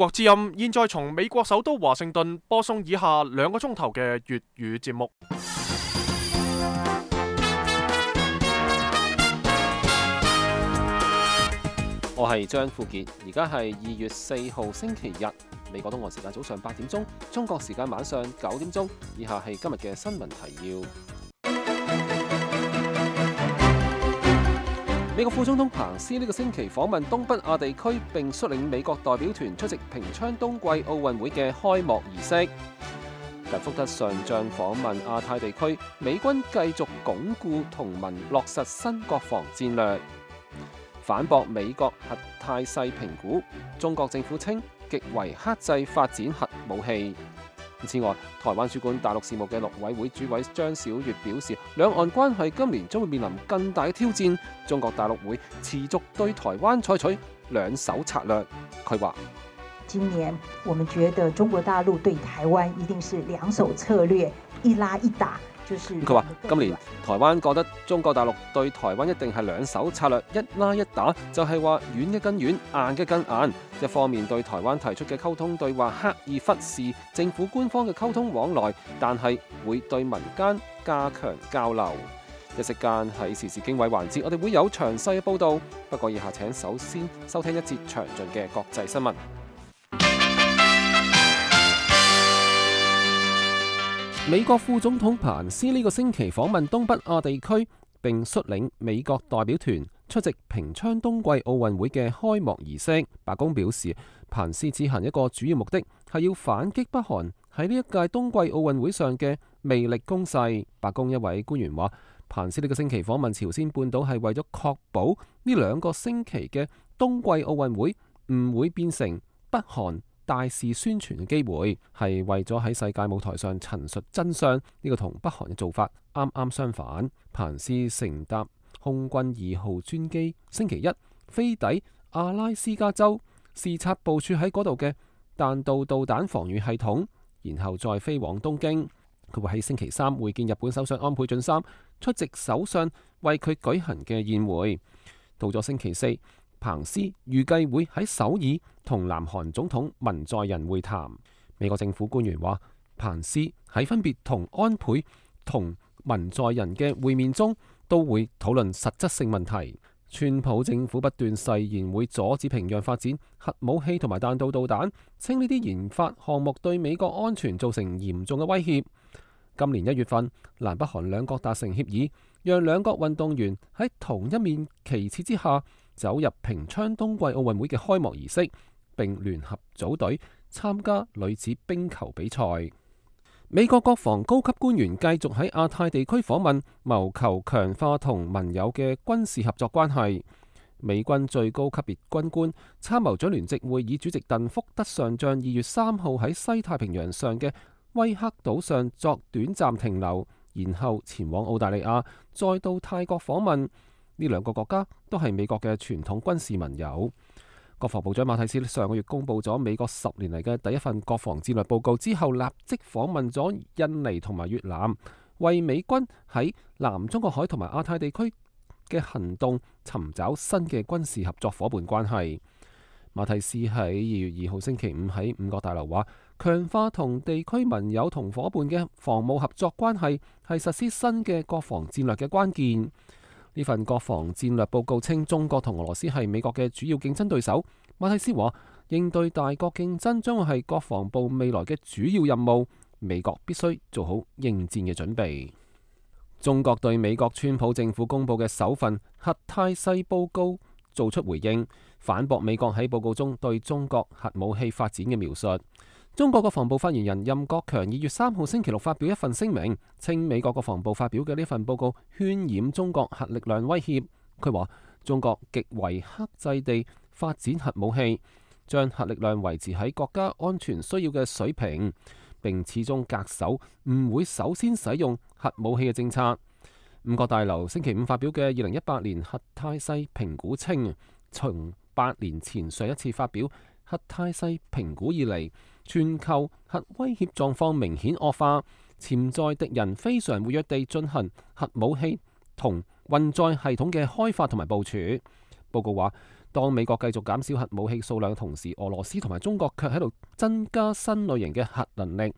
國之音現在從美國首都華盛頓播送以下2個鐘頭嘅粵語節目。我係張富傑，而家係2月4號星期日，美國東岸時間早上8點鐘，中國時間晚上9點鐘。以下係今日嘅新聞提要。美國副總統彭斯呢個星期訪問東北亞地區，並率領美國代表團出席平昌冬季奧運會嘅開幕儀式。特福德上將訪問亞太地區，美軍繼續鞏固同盟，落實新國防戰略。反駁美國核態勢評估，中國政府稱極為克制發展核武器。此外，台灣主管大陸事務嘅陸委會主委張曉月表示，兩岸關係今年將會面臨更大嘅挑戰，中國大陸會持續對台灣採取兩手策略。佢話：今年我們覺得中國大陸對台灣一定是兩手策略，一拉一打。佢話今年台灣覺得中國大陸對台灣一定係兩手策略，一拉一打，就係話軟嘅更軟，硬嘅更硬。一方面對台灣提出嘅溝通對話刻意忽視政府官方嘅溝通往來，但係會對民間加強交流。一息間喺時事經緯環節，我哋會有詳細嘅報導。不過以下請首先收聽一節詳盡嘅國際新聞。美國副總統彭斯呢個星期訪問東北亞地區，並率領美國代表團出席平昌冬季奧運會嘅開幕儀式。白宮表示，彭斯此行一個主要目的係要反擊北韓喺呢一屆冬季奧運會上嘅魅力攻勢。白宮一位官員話，彭斯呢個星期訪問朝鮮半島係為咗確保呢2個星期嘅冬季奧運會唔會變成北韓大肆宣傳嘅機會，係為咗喺世界舞台上陳述真相。呢個同北韓嘅做法啱啱相反。彭斯乘搭空軍2號專機星期一飛抵阿拉斯加州，視察部署喺嗰度嘅彈道導彈防禦系統，然後再飛往東京。佢會喺星期3會見日本首相安倍晉三，出席首相為佢舉行嘅宴會。到咗星期4，彭斯預計會喺首爾同南韓總統文在寅會談。美國政府官員話，彭斯喺分別同安倍同文在寅嘅會面中，都會討論實質性問題。川普政府不斷誓言會阻止平壤發展核武器同埋彈道導彈，稱呢啲研發項目對美國安全造成嚴重嘅威脅。今年1月份，南北韓兩國達成協議，讓兩國運動員喺同一面旗幟之下走入平昌冬季奧運會嘅開幕儀式，並聯合組隊參加女子冰球比賽。美國國防高級官員繼續喺亞太地區訪問，謀求強化同盟友嘅軍事合作關係。美軍最高級別軍官、參謀長聯席會議主席鄧福德上將2月3號喺西太平洋上嘅威克島上作短暫停留，然後前往澳大利亞，再到泰國訪問。呢2個國家都係美國嘅傳統軍事盟友。國防部長馬蒂斯上個月公布咗美國10年嚟嘅第一份國防戰略報告之後，立即訪問咗印尼同埋越南，為美軍喺南中國海同埋亞太地區嘅行動尋找新嘅軍事合作伙伴關係。馬蒂斯喺2月2號星期5喺5角大樓話，強化同地區盟友同伙伴嘅防務合作關係係實施新嘅國防戰略嘅關鍵。呢份國防戰略報告稱，中國同俄羅斯係美國嘅主要競爭對手。馬蒂斯話，應對大國競爭將會係國防部未來嘅主要任務，美國必須做好應戰嘅準備。中國對美國川普政府公布嘅首份核態勢報告做出回應，反駁美國喺報告中對中國核武器發展嘅描述。中國國防部發言人任國強2月3號星期6發表一份聲明，稱美國國防部發表嘅呢份報告渲染中國核力量威脅。佢話中國極為克制地發展核武器，將核力量維持喺國家安全需要嘅水平，並始終恪守唔會首先使用核武器嘅政策。5角大樓星期5發表嘅2018年核態勢評估稱，從8年前上一次發表核態勢評估以嚟，全球核威脅狀況明顯惡化，潛在敵人非常活躍地進行核武器同運載系統嘅開發同埋部署。報告話，當美國繼續減少核武器數量嘅同時，俄羅斯同埋中國卻喺度增加新類型嘅核能力，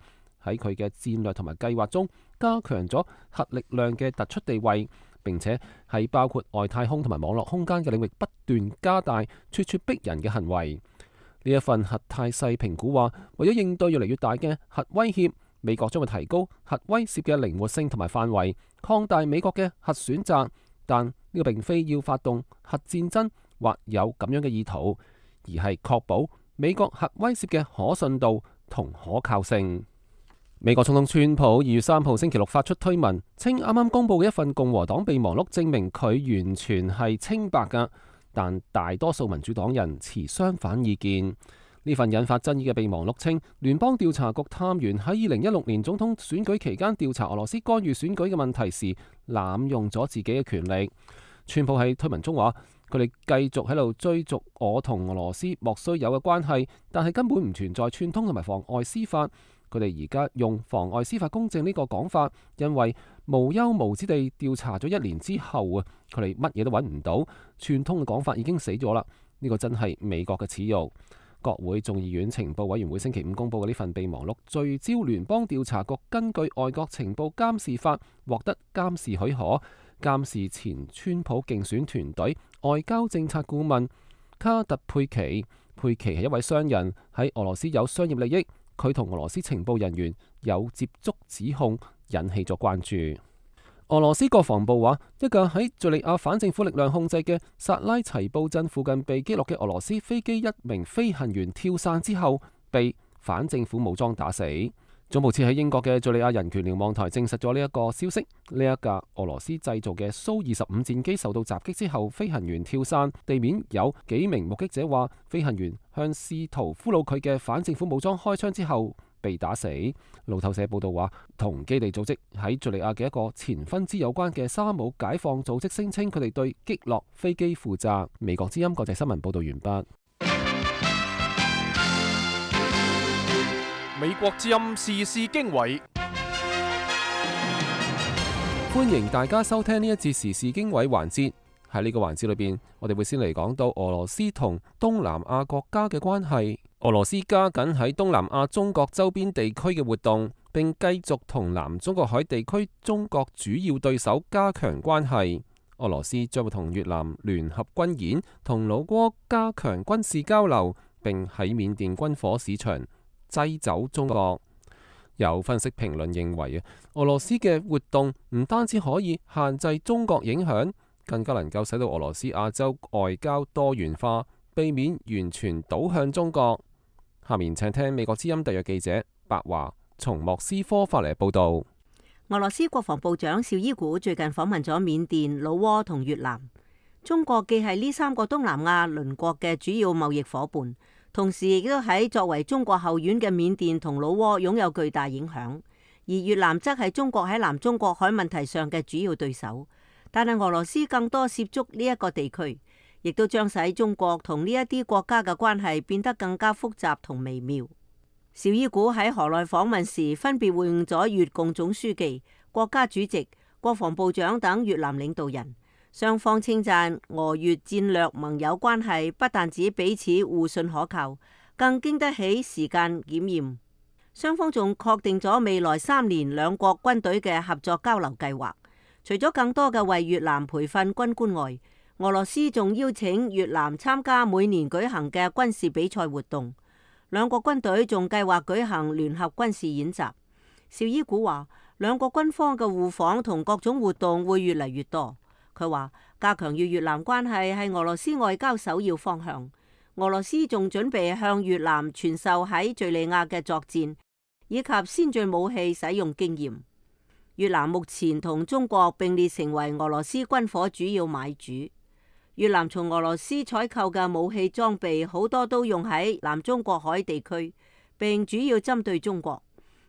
喺佢嘅戰略同埋計劃中加強咗核力量嘅突出地位，並且喺包括外太空同埋網絡空間嘅領域不斷加大咄咄逼人嘅行為。呢一份核態勢評估話，為咗應對越嚟越大嘅核威脅，美國將會提高核威懾嘅靈活性同埋範圍，擴大美國嘅核選擇。但呢個並非要發動核戰爭或有咁樣嘅意圖，而係確保美國核威懾嘅可信度同可靠性。美國總統川普2月3號星期六發出推文，稱啱啱公布嘅一份共和黨備忘錄證明佢完全係清白㗎。但大多數民主黨人持相反意見。呢份引發爭議嘅備忘錄稱，聯邦調查局探員喺2016年總統選舉期間調查俄羅斯干預選舉嘅問題時，濫用咗自己嘅權力。川普喺推文中話，佢哋繼續喺度追逐我同俄羅斯莫須有嘅關係，但係根本唔存在串通同埋妨礙司法。佢哋而家用妨礙司法公正呢個講法，因為無休無止地調查咗1年之後啊，佢哋乜嘢都揾唔到，串通嘅講法已經死咗啦。呢個真係美國嘅恥辱。國會眾議院情報委員會星期5公佈嘅呢份備忘錄，聚焦聯邦調查局根據外國情報監視法獲得監視許可，監視前川普競選團隊外交政策顧問卡特佩奇。佩奇係一位商人，喺俄羅斯有商業利益。佢同俄羅斯情報人員有接觸指控，引起咗關注。俄羅斯國防部話，一架喺敘利亞反政府力量控制嘅薩拉齊布鎮附近被擊落嘅俄羅斯飛機一名飛行員跳傘之後，被反政府武裝打死。總部設喺英國嘅敘利亞人權瞭望台證實咗呢一個消息。呢一架俄羅斯製造嘅蘇25戰機受到襲擊之後，飛行員跳傘，地面有幾名目擊者話，飛行員向試圖俘虜佢嘅反政府武裝開槍之後被打死。路透社報道話，同基地組織喺敘利亞嘅一個前分支有關嘅沙姆解放組織聲稱，佢哋對擊落飛機負責。美國之音國際新聞報道完畢。美國之音時事經緯，歡迎大家收聽呢一節時事經緯環節。喺呢個環節裏邊，我哋會先嚟講到俄羅斯同東南亞國家嘅關係。俄羅斯加緊喺東南亞中國周邊地區嘅活動，並繼續同南中國海地區中國主要對手加強關係。俄羅斯將會同越南聯合軍演，同老撾加強軍事交流，並喺緬甸軍火市場擠走中國。有分析評論認為啊，俄羅斯嘅活動唔單止可以限制中國影響，更加能夠使到俄羅斯亞洲外交多元化，避免完全倒向中國。下面請聽美國之音特約記者白華從莫斯科發嚟報道。俄羅斯國防部長紹伊古最近訪問咗緬甸、老撾同越南。中國既係呢3個東南亞鄰國嘅主要貿易夥伴，同時亦都喺作為中國後院嘅緬甸同老撾擁有巨大影響，而越南則係中國喺南中國海問題上嘅主要對手。但係俄羅斯更多涉足呢一個地區，亦都將使中國同呢一啲國家嘅關係變得更加複雜同微妙。紹伊古喺河內訪問時，分別會晤咗越共總書記、國家主席、國防部長等越南領導人。雙方稱讚俄越戰略盟友關係不但止彼此互信可靠，更經得起時間檢驗。雙方仲確定咗未來3年兩國軍隊嘅合作交流計劃。除咗更多嘅為越南培訓軍官外，俄羅斯仲邀請越南參加每年舉行嘅軍事比賽活動。兩國軍隊仲計劃舉行聯合軍事演習。紹伊古話，兩國軍方嘅互訪同各種活動會越嚟越多。佢話加強與越南關係係俄羅斯外交首要方向。俄羅斯仲準備向越南傳授喺敘利亞嘅作戰以及先進武器使用經驗。越南目前同中國並列成為俄羅斯軍火主要買主。越南從俄羅斯採購嘅武器裝備好多都用喺南中國海地區，並主要針對中國。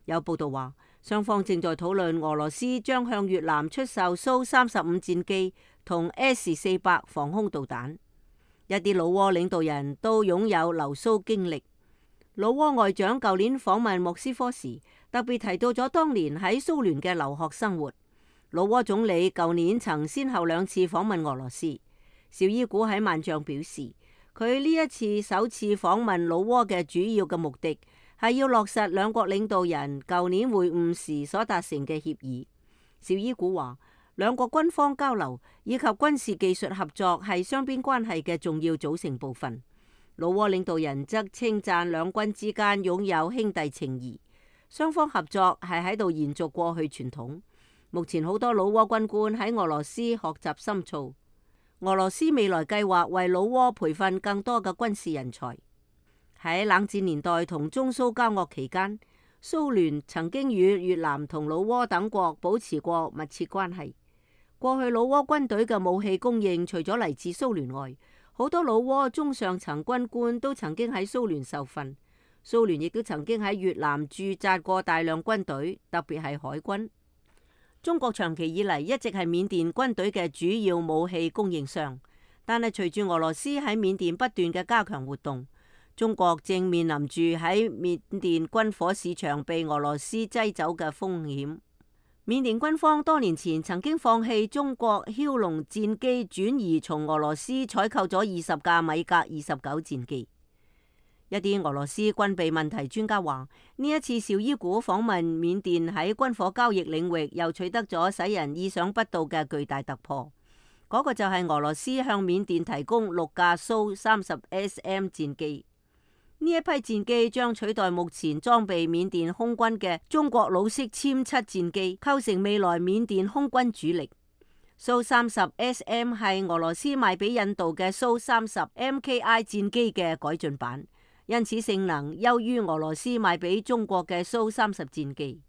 有報道話，雙方正在討論俄羅斯將向越南出售蘇35戰機同 S-400防空導彈。一啲老撾領導人都擁有留蘇經歷。老撾外長舊年訪問莫斯科時，特別提到咗當年喺蘇聯嘅留學生活。老撾總理舊年曾先後2次訪問俄羅斯。紹伊古喺萬象表示，佢呢一次首次訪問老撾嘅主要嘅目的係要落實兩國領導人舊年會晤時所達成嘅協議。紹伊古話，兩國軍方交流以及軍事技術合作係雙邊關係嘅重要組成部分。老撾領導人則稱讚兩軍之間擁有兄弟情誼，雙方合作係喺度延續過去傳統。目前好多老撾軍官喺俄羅斯學習深造，俄羅斯未來計劃為老撾培訓更多嘅軍事人才。喺冷戰年代同中蘇交惡期間，蘇聯曾經與越南同老撾等國保持過密切關係。過去老撾軍隊嘅武器供應除咗嚟自蘇聯外，好多老撾中上層軍官都曾經喺蘇聯受訓。蘇聯亦都曾經喺越南駐紮過大量軍隊，特別係海軍。中國長期以嚟一直係緬甸軍隊嘅主要武器供應商，但係隨住俄羅斯喺緬甸不斷嘅加強活動，中國正面臨住喺緬甸軍火市場被俄羅斯擠走嘅風險。緬甸軍方多年前曾經放棄中國梟龍戰機，轉移從俄羅斯採購咗20架米格29戰機。一啲俄羅斯軍備問題專家話，呢一次紹伊古訪問緬甸喺軍火交易領域又取得咗使人意想不到嘅巨大突破。嗰個就係俄羅斯向緬甸提供6架蘇 30SM 戰機。呢一批戰機將取代目前裝備緬甸空軍嘅中國老式殲7戰機，構成未來緬甸空軍主力。蘇 30SM 係俄羅斯賣俾印度嘅蘇 30MKI 戰機嘅改進版，因此性能優於俄羅斯賣俾中國嘅蘇 30戰機。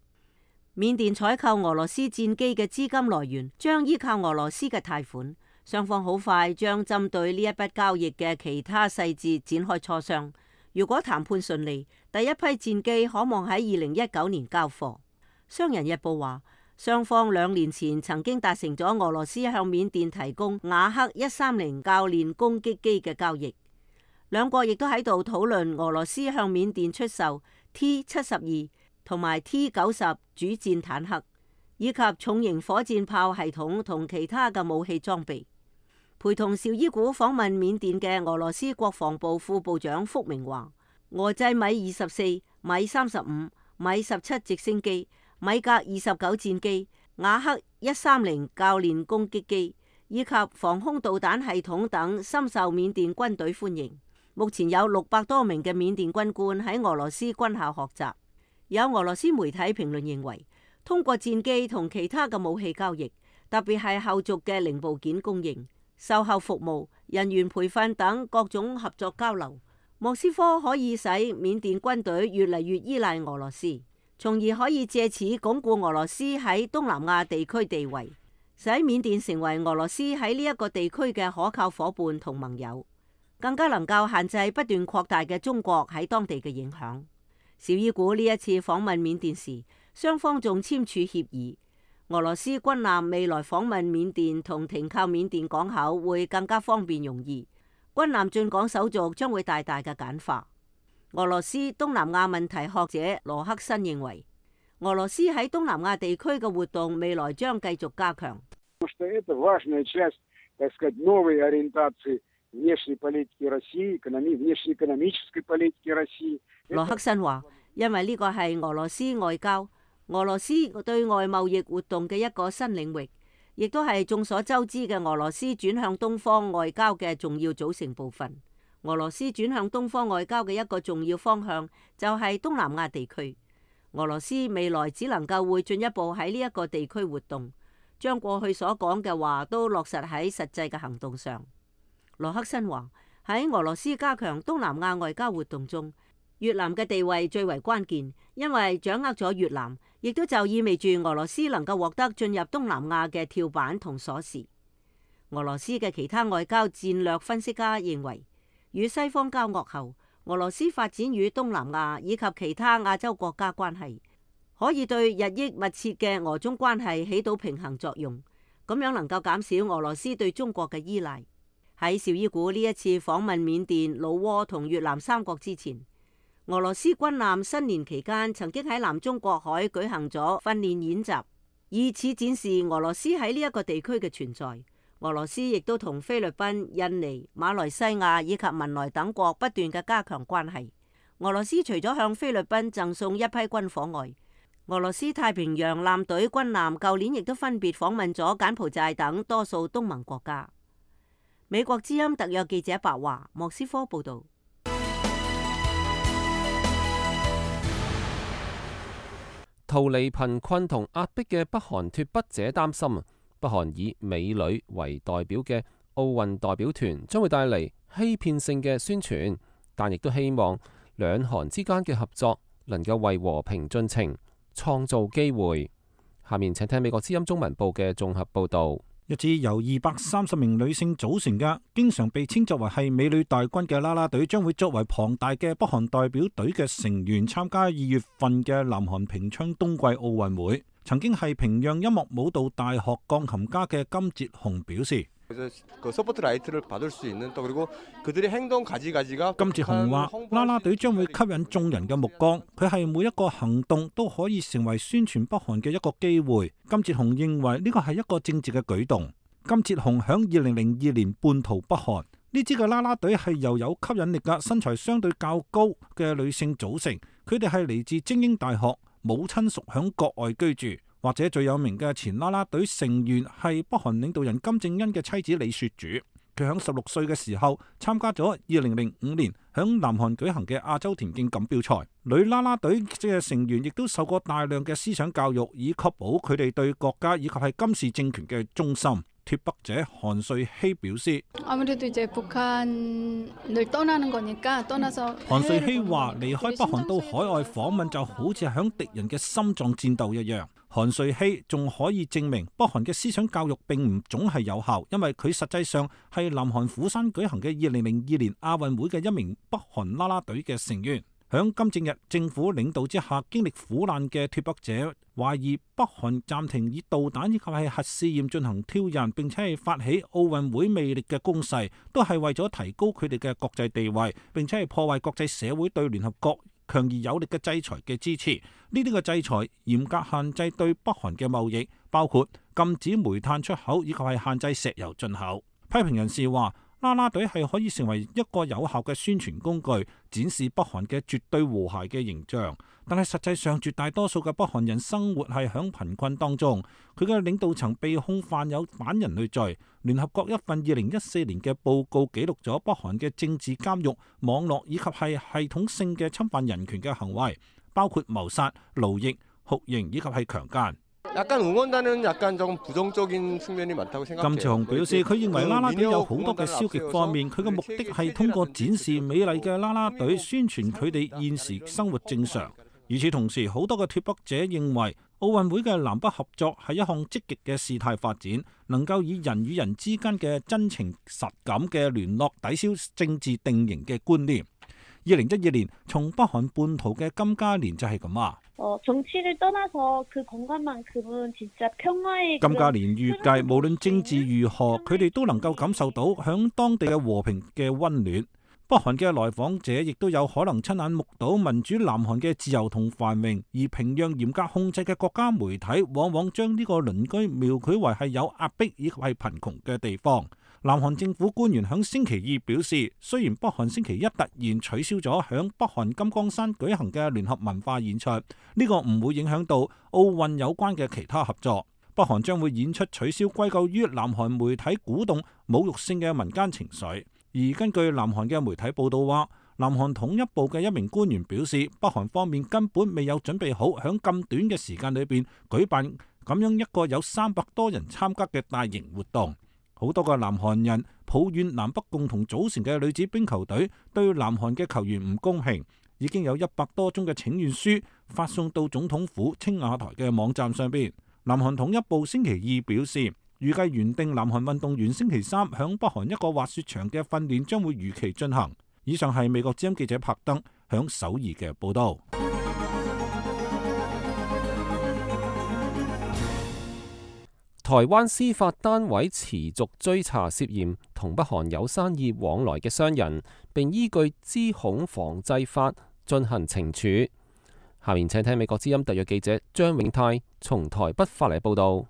緬甸採購俄羅斯戰機嘅資金來源將依靠俄羅斯嘅貸款，雙方好快將針對呢一筆交易嘅其他細節展開磋商。如果談判順利，第一批戰機可望喺2019年交貨。商人日報話，雙方2年前曾經達成咗俄羅斯向緬甸提供雅克130教練攻擊機嘅交易。兩國亦都喺度討論俄羅斯向緬甸出售 T72同埋 T90主戰坦克，以及重型火箭炮系統同其他嘅武器裝備。陪同紹伊古訪問緬甸嘅俄羅斯國防部副部長福明話，俄製米24、米35、米17直升機、米格29戰機、雅克130教練攻擊機以及防空導彈系統等深受緬甸軍隊歡迎。目前有600多名嘅緬甸軍官喺俄羅斯軍校學習。有俄羅斯媒體評論認為，通過戰機同其他嘅武器交易，特別係後續嘅零部件供應、售後服務、人員培訓等各種合作交流，莫斯科可以使緬甸軍隊越嚟越依賴俄羅斯，從而可以借此鞏固俄羅斯喺東南亞地區地位，使緬甸成為俄羅斯喺呢一個地區嘅可靠夥伴同盟友，更加能夠限制不斷擴大嘅中國喺當地嘅影響。紹伊古呢一次訪問緬甸時，雙方仲簽署協議，俄羅斯軍艦未來訪問緬甸同停靠緬甸港口會更加方便容易，軍艦進港手續將會大大嘅簡化。俄羅斯東南亞問題學者羅克申認為，俄羅斯喺東南亞地區嘅活動未來將繼續加強。羅克申話，因為呢個係俄羅斯外交、俄羅斯對外貿易活動嘅一個新領域，亦都係眾所周知嘅俄羅斯轉向東方外交嘅重要組成部分。俄羅斯轉向東方外交嘅一個重要方向就係東南亞地區。俄羅斯未來只能夠會進一步喺呢一個地區活動，將過去所講嘅話都落實喺實際嘅行動上。羅克申話，喺俄羅斯加強東南亞外交活動中，越南嘅地位最為關鍵，因為掌握咗越南，亦都就意味住俄羅斯能夠獲得進入東南亞嘅跳板同鎖匙。俄羅斯嘅其他外交戰略分析家認為，與西方交惡後，俄羅斯發展與東南亞以及其他亞洲國家關係，可以對日益密切嘅俄中關係起到平衡作用，咁樣能夠減少俄羅斯對中國嘅依賴。喺紹伊古呢一次訪問緬甸、老撾同越南3國之前，俄羅斯軍艦新年期間曾經喺南中國海舉行咗訓練演習，以此展示俄羅斯喺呢一個地區嘅存在。俄羅斯亦都同菲律賓、印尼、馬來西亞以及文萊等國不斷嘅加強關係。俄羅斯除咗向菲律賓贈送一批軍火外，俄羅斯太平洋艦隊軍艦舊年亦都分別訪問咗柬埔寨等多數東盟國家。美國之音特約記者白華，莫斯科報道。逃離貧困同壓迫嘅北韓脫北者擔心，北韓以美女為代表嘅奧運代表團將會帶嚟欺騙性嘅宣傳，但亦都希望兩韓之間嘅合作能夠為和平進程創造機會。下面請聽美國之音中文部嘅綜合報導。一支由230名女性組成嘅，經常被稱作為係美女大軍嘅啦啦隊，將會作為龐大嘅北韓代表隊嘅成員參加2月份嘅南韓平昌冬季奧運會。曾經係平壤音樂舞蹈大學鋼琴家嘅金哲雄表示，金哲雄話啦啦隊將會吸引眾人嘅目光，佢係每一個行動都可以成為宣傳北韓嘅一個機會。金哲雄認為呢個係一個政治嘅舉動。金哲雄響2002年叛逃北韓，呢支嘅啦啦隊係由有吸引力嘅身材相對較高嘅女性組成，佢哋係嚟自精英大學，母親屬響國外居住。或者最有名嘅前啦啦隊成員係北韓領導人金正恩嘅妻子李雪主，佢響16歲嘅時候參加咗2005年響南韓舉行嘅亞洲田徑錦標賽。女啦啦隊嘅成員亦都受過大量嘅思想教育，以確保佢哋對國家以及係金氏政權嘅忠心。脫北者韓瑞希表示，韓瑞希話離開北韓到海外訪問就好似響敵人嘅心臟戰鬥一樣。韓瑞希仲可以證明北韓嘅思想教育並唔總係有效，因為佢實際上係南韓釜山舉行嘅2002年亞運會嘅一名北韓啦啦隊嘅成員。響金正日政府領導之下經歷苦難嘅脫北者懷疑北韓暫停以導彈以及係核試驗進行挑釁，並且係發起奧運會魅力嘅攻勢，都係為咗提高佢哋嘅國際地位，並且係破壞國際社會對聯合國強而有力嘅制裁嘅支持。呢啲嘅制裁嚴格限制對北韓嘅貿易，包括禁止煤炭出口以及係限制石油進口。批評人士話，啦啦隊係可以成為一個有效嘅宣傳工具，展示北韓嘅絕對和諧嘅形象。但係實際上，絕大多數嘅北韓人生活係響貧困當中。佢嘅領導層被控犯有反人類罪。聯合國一份2014年嘅報告記錄咗北韓嘅政治監獄、網絡以及係系統性嘅侵犯人權嘅行為，包括謀殺、勞役、酷刑以及係強姦。金哲雄表示，佢認為啦啦隊有好多嘅消極方面，佢嘅目的係通過展示美麗嘅啦啦隊，宣傳佢哋現時生活正常。與此同時，好多嘅脫北者認為奧運會嘅南北合作係一項積極嘅事態發展，能夠以人與人之間嘅真情實感嘅聯絡抵消政治定型嘅觀念。2012年從北韓叛逃嘅金嘉蓮就係咁話。金嘉蓮預計無論政治如何，佢哋都能夠感受到響當地嘅和平嘅溫暖。北韓嘅來訪者亦都有可能親眼目睹民主南韓嘅自由同繁榮，而平壤嚴格控制嘅國家媒體往往將呢個鄰居描繪為係有壓迫以及係貧窮嘅地方。南韓政府官員響星期二表示，雖然北韓星期一突然取消咗響北韓金剛山舉行嘅聯合文化演出，呢個唔會影響到奧運有關嘅其他合作。北韓將會演出取消歸咎於南韓媒體鼓動侮辱性嘅民間情緒。而根據南韓嘅媒體報道話，南韓統一部嘅一名官員表示，北韓方面根本未有準備好響咁短嘅時間裏邊舉辦咁樣一個有300多人參加嘅大型活動。好多個南韓人抱怨南北共同組成嘅女子冰球隊對南韓嘅球員唔公平，已經有100多宗嘅請願書發送到總統府青瓦台嘅網站上邊。南韓統一部星期二表示，預計原定南韓運動員星期3響北韓一個滑雪場嘅訓練將會如期進行。以上係美國之音記者柏登響首爾嘅報道。台灣司法單位持續追查涉嫌同北韓有生意往來嘅商人，並依據資恐防制法進行懲處。下面請聽美國之音特約記者張永泰從台北發嚟報道。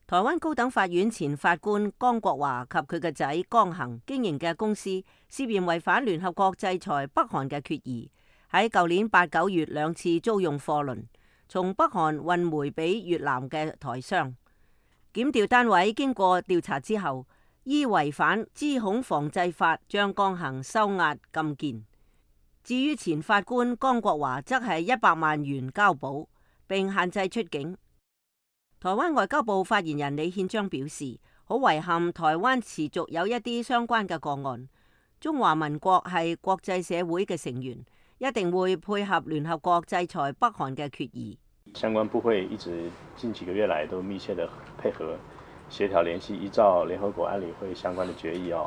台灣高等法院前法官江國華及佢嘅仔江恒經營嘅公司涉嫌違反聯合國制裁北韓嘅決議，喺舊年8、9月兩次租用貨輪從北韓運煤俾越南嘅台商。檢調單位經過調查之後，依違反資恐防制法，將江恒收押禁見。至於前法官江國華，則係100萬元交保，並限制出境。台灣外交部發言人李憲章表示，好遺憾台灣持續有一啲相關嘅個案。中華民國係國際社會嘅成員，一定會配合聯合國制裁北韓嘅決議。相關部會一直近幾個月來都密切的配合協調聯繫，依照聯合國安理會相關的決議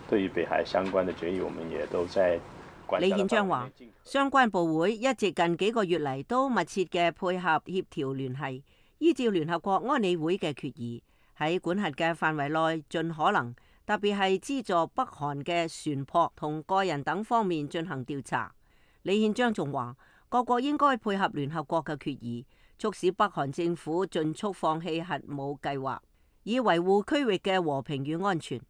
對於北韓相關的決議，我們也都在管轄。李憲章話，相關部會一直近幾個月嚟都密切嘅配合協調聯繫，依照聯合國安理會嘅決議，喺管轄嘅範圍內盡可能，特別係資助北韓嘅船舶同個人等方面進行調查。李憲章仲話，各國應該配合聯合國嘅決議，促使北韓政府盡速放棄核武計劃，以維護區域嘅和平與安全。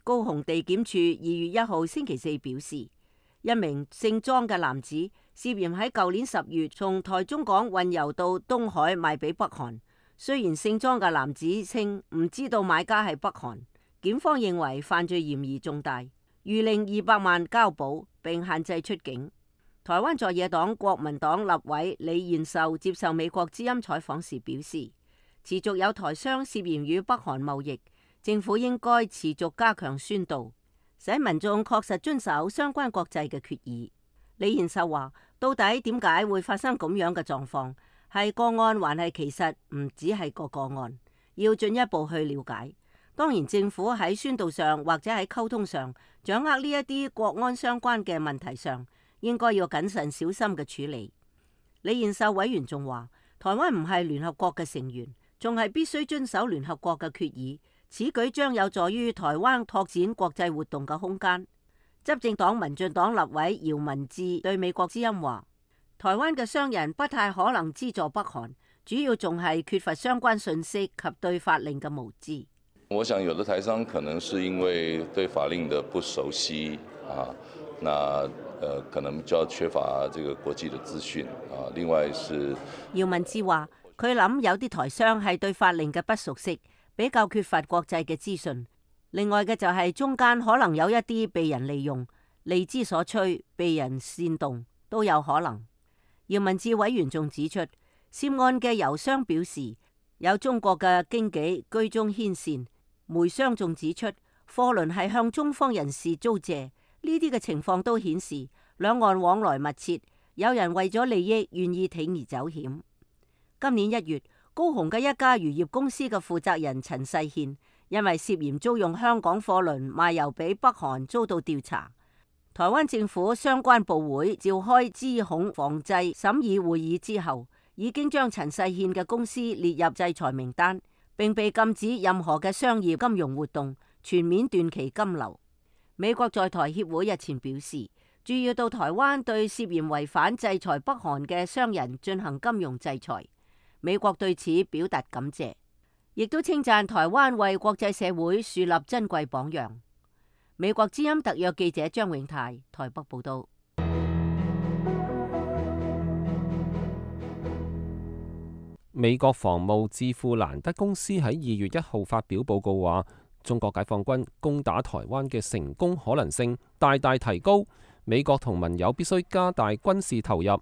高雄地檢署2月1號星期四表示，一名姓莊嘅男子涉嫌喺舊年10月從台中港運油到東海賣俾北韓。雖然姓莊嘅男子稱唔知道買家係北韓，檢方認為犯罪嫌疑重大，諭令200萬交保並限制出境。台灣在野黨國民黨立委李彥秀接受美國之音採訪時表示，持續有台商涉嫌與北韓貿易，政府應該持續加強宣導，使民眾確實遵守相關國際嘅決議。李彥秀話，到底點解會發生咁樣嘅狀況？係個案還係其實唔只係個案，要進一步去了解。當然政府喺宣導上或者喺溝通上掌握呢一啲國安相關嘅問題上，應該要謹慎小心嘅處理。李彥秀委員仲話，台灣唔係聯合國嘅成員，仲係必須遵守聯合國嘅決議，此舉將有助於台灣拓展國際活動嘅空間。執政黨民進黨立委姚文智對美國之音話，台灣嘅商人不太可能資助北韓，主要仲係缺乏相關信息及對法令嘅無知。我想有的台商可能是因為對法令的不熟悉可能就要缺乏這個國際的資訊啊。另外是姚文智話，佢諗有啲台商係對法令嘅不熟悉，比較缺乏國際嘅資訊。另外嘅就係中間可能有一啲被人利用、利之所趨、被人煽動都有可能。姚文智委員仲指出，涉案嘅油商表示有中國嘅經紀居中牽線，煤商仲指出貨輪係向中方人士租借，呢啲嘅情況都顯示兩岸往來密切，有人為咗利益願意鋌而走險。今年1月，高雄嘅一家漁業公司嘅負責人陳世憲因為涉嫌租用香港貨輪賣油俾北韓遭到調查。台灣政府相關部會召開資恐防制審議會議之後，已經將陳世憲嘅公司列入制裁名單，並被禁止任何嘅商業金融活動，全面斷其金流。美國在台協會日前表示，注意到台灣對涉嫌違反制裁北韓嘅商人進行金融制裁，美國對此表達感謝，亦都稱讚台灣為國際社會樹立珍貴榜樣。美國之音特約記者張永泰台北報道。美國防務智庫蘭德公司喺2月1號發表報告話，中國解放軍攻打台灣嘅成功可能性大大提高，美國同盟友必須加大軍事投入。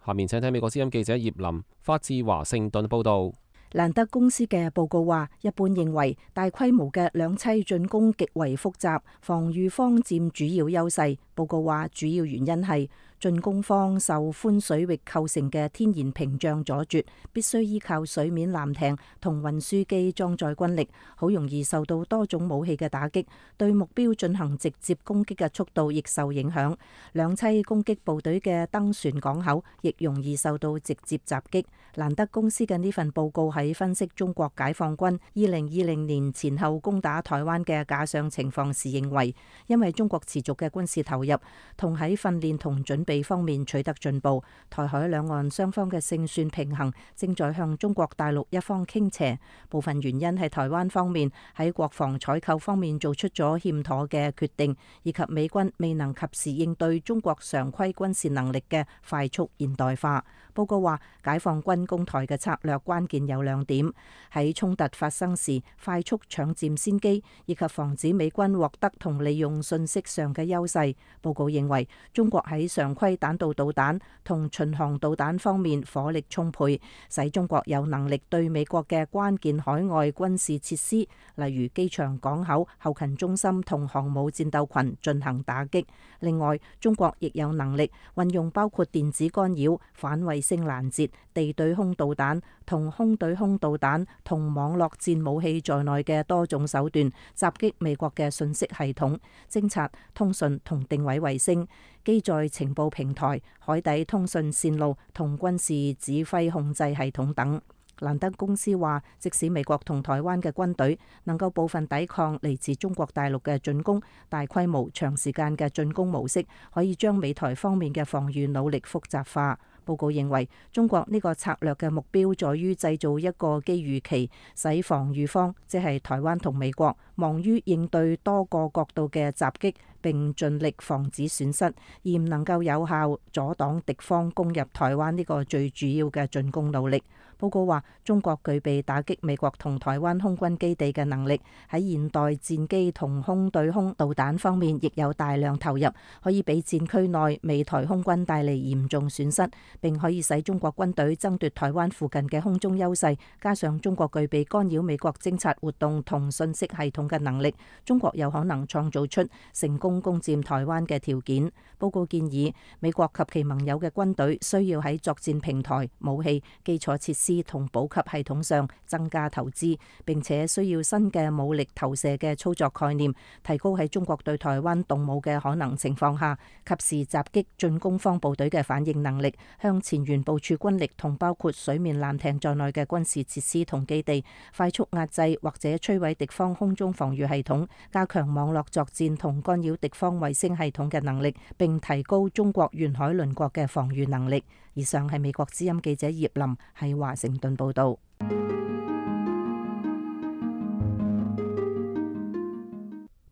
下面請睇美國之音記者葉林發自華盛頓報道。蘭德公司嘅報告話，一般認為大規模嘅兩棲進攻極為複雜，防禦方佔主要優勢。報告話，主要原因係進攻方受寬水域構成嘅天然屏障阻絕，必須依靠水面艦艇同運輸機裝載軍力，好容易受到多種武器嘅打擊，對目標進行直接攻擊嘅速度亦受影響。兩棲攻擊部隊嘅登船港口亦容易受到直接襲擊。蘭德公司嘅呢份報告喺分析中國解放軍2020年前後攻打台灣嘅假想情況時認為，因為中國持續嘅軍事投入，入，同喺訓練同準備方面取得進步。台海兩岸雙方嘅勝算平衡正在向中國大陸一方傾斜，部分原因係台灣方面喺國防採購方面做出咗欠妥嘅決定，以及美軍未能及時應對中國常規軍事能力嘅快速現代化。報告話，解放軍攻台嘅策略關鍵有兩點：喺衝突發生時快速搶佔先機，以及防止美軍獲得同利用信息上嘅優勢。報告認為，中國喺常規彈道導彈同巡航導彈方面火力充沛，使中國有能力對美國嘅關鍵海外軍事設施，例如機場、港口、後勤中心同航母戰鬥群進行打擊。另外，中國亦有能力運用包括電子干擾、反衛星攔截、地對空導彈同空對空導彈同網絡戰武器在內嘅多種手段，襲擊美國嘅信息系統、偵察、通訊同定位衛星、機載情報平台、海底通訊線路同軍事指揮控制系統等。蘭德公司話，即使美國同台灣嘅軍隊能夠部分抵抗嚟自中國大陸嘅進攻，大規模長時間嘅進攻模式可以將美台方面嘅防禦努力複雜化。報告認為，中國呢個策略嘅目標在於製造一個機遇期，使防禦方即係台灣同美國忙於應對多個角度嘅襲擊，並盡力防止損失，而唔能夠有效阻擋敵方攻入台灣呢個最主要嘅進攻努力。報告話，中國具備打擊美國同台灣空軍基地嘅能力，喺現代戰機同空對空導彈方面亦有大量投入，可以俾戰區內美台空軍帶嚟嚴重損失，並可以使中國軍隊爭奪台灣附近嘅空中優勢。加上中國具備干擾美國偵察活動同信息系統嘅能力，中國有可能創造出成功攻佔台灣嘅條件。報告建議，美國及其盟友嘅軍隊需要喺作戰平台、武器、基礎設施同補給系統上增加投資，並且需要新嘅武力投射嘅操作概念，提高喺中國對台灣動武嘅可能情況下，及時襲擊進攻方部隊嘅反應能力，向前沿部署軍力同包括水面艦艇在內嘅軍事設施同基地，快速壓制或者摧毀敵方空中防禦系統，加強網絡作戰同干擾敵方衛星系統嘅能力，並提高中國沿海鄰國嘅防禦能力。以上係美國之音記者葉林喺華盛頓報道。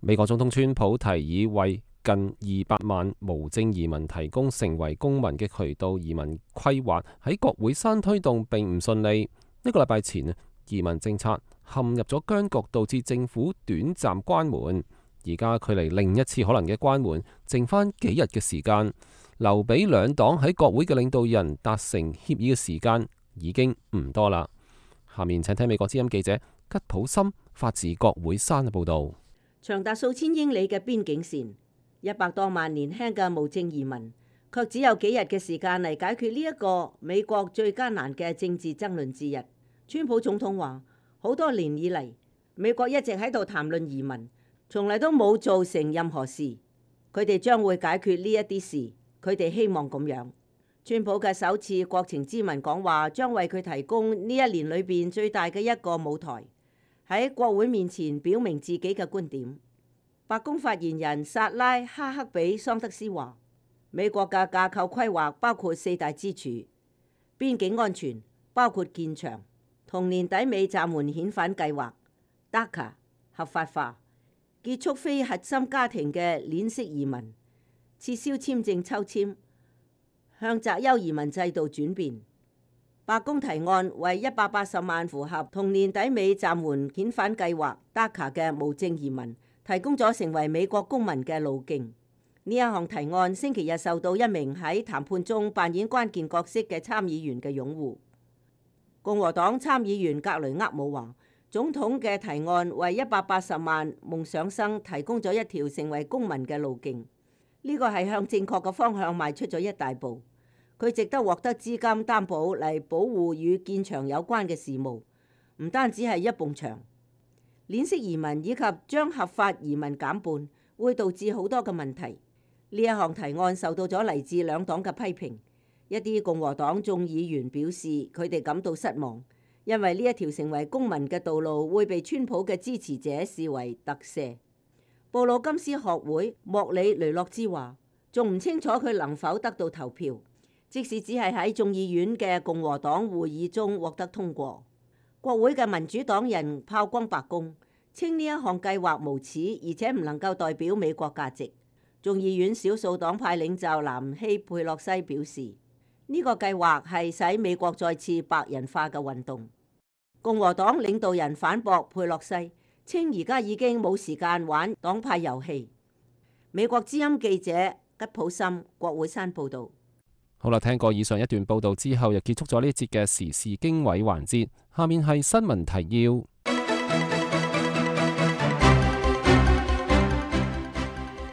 美國總統川普提議為近200萬無證移民提供成為公民嘅渠道，移民規劃喺國會山推動並唔順利。一個禮拜前，移民政策陷入咗僵局，導致政府短暫關門。而家距離另一次可能嘅關門剩返幾日嘅時間，留俾兩黨喺國會嘅領導人達成協議嘅時間已經唔多啦。下面請聽美國之音記者吉普森發自國會山嘅報導。長達數千英里嘅邊境線，100多萬年輕嘅無證移民，卻只有幾日嘅時間嚟解決呢一個美國最艱難嘅政治爭論之一。川普總統話：好多年以嚟，美國一直喺度談論移民，從嚟都冇做成任何事。佢哋將會解決呢一啲事，佢哋希望咁樣。川普嘅首次國情咨文講話，將為佢提供呢一年裏邊最大嘅一個舞台，喺國會面前表明自己嘅觀點。白宮發言人薩拉哈克比桑德斯話：美國嘅架構規劃包括4大支柱，邊境安全包括建牆，同年底尾暫緩遣返計劃 DACA 合法化，結束非核心家庭嘅鏈式移民，撤銷簽證抽籤，向擇優移民制度轉變。白宮提案為180萬符合同年底尾暫緩遣返計劃 DACA 嘅無證移民提供咗成為美國公民嘅路徑。呢一項提案星期日受到一名喺談判中扮演關鍵角色嘅參議員嘅擁護。共和黨參議員格雷厄姆話：總統嘅提案為180萬夢想生提供咗一條成為公民嘅路徑。呢個係向正確嘅方向邁出咗一大步。佢值得獲得資金擔保嚟保護與建牆有關嘅事務，唔單止係一埲牆。鏈式移民以及將合法移民減半，會導致好多嘅問題。呢一項提案受到咗嚟自兩黨嘅批評。一啲共和黨眾議員表示，佢哋感到失望，因為呢一條成為公民嘅道路會被川普嘅支持者視為特赦。布魯金斯學會莫里雷諾茲話：仲唔清楚佢能否得到投票，即使只係喺眾議院嘅共和黨會議中獲得通過。國會嘅民主黨人炮轟白宮，稱呢一項計劃無恥，而且唔能夠代表美國價值。眾議院少數黨派領袖南希佩洛西表示，呢個計劃係使美國再次白人化嘅運動。共和黨領導人反駁佩洛西，稱而家已經冇時間玩黨派遊戲。美國之音記者吉普森國會山報道。好啦，聽過以上一段報道之後，又結束咗呢一節嘅時事經緯環節。下面係新聞提要。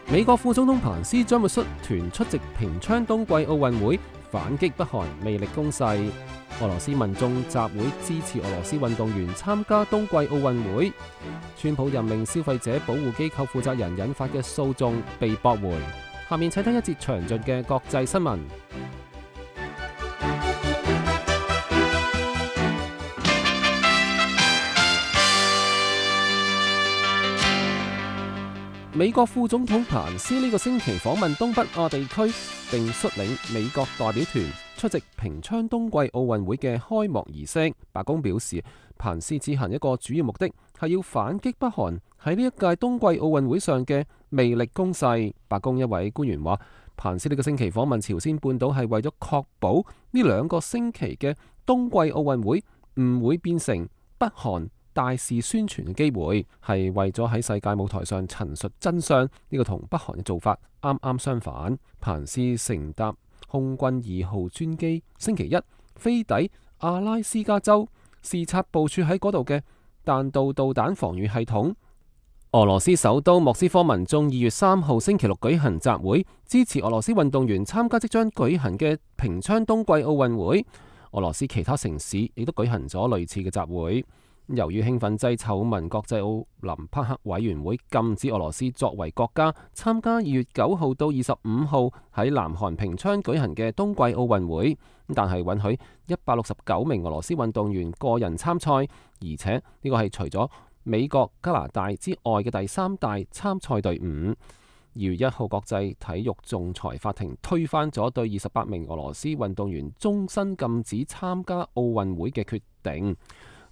美國副總統彭斯將會率團出席平昌冬季奧運會，反擊北韓魅力攻勢。俄羅斯民眾集會支持俄羅斯運動員參加冬季奧運會。川普任命消費者保護機構負責人引發嘅訴訟被駁回。下面請聽一節詳盡嘅國際新聞。美國副總統彭斯呢個星期訪問東北亞地區，並率領美國代表團出席平昌冬季奧運會嘅開幕儀式。白宮表示，彭斯此行一個主要目的係要反擊北韓喺呢一屆冬季奧運會上嘅魅力攻勢。白宮一位官員話，彭斯呢個星期訪問朝鮮半島係為咗確保呢2個星期嘅冬季奧運會唔會變成北韓大肆宣傳嘅機會，係為咗喺世界舞台上陳述真相。呢個同北韓嘅做法啱啱相反。彭斯乘搭空軍2號專機星期一飛抵阿拉斯加州，視察部署喺嗰度嘅彈道導彈防禦系統。俄羅斯首都莫斯科民眾2月3號星期六舉行集會，支持俄羅斯運動員參加即將舉行嘅平昌冬季奧運會。俄羅斯其他城市亦都舉行咗類似嘅集會。由於興奮劑醜聞，國際奧林匹克委員會禁止俄羅斯作為國家參加2月9號到25號喺南韓平昌舉行嘅冬季奧運會，但係允許169名俄羅斯運動員個人參賽，而且呢個係除咗美國、加拿大之外嘅第3大參賽隊伍。2月1號，國際體育仲裁法庭推翻咗對28名俄羅斯運動員終身禁止參加奧運會嘅決定。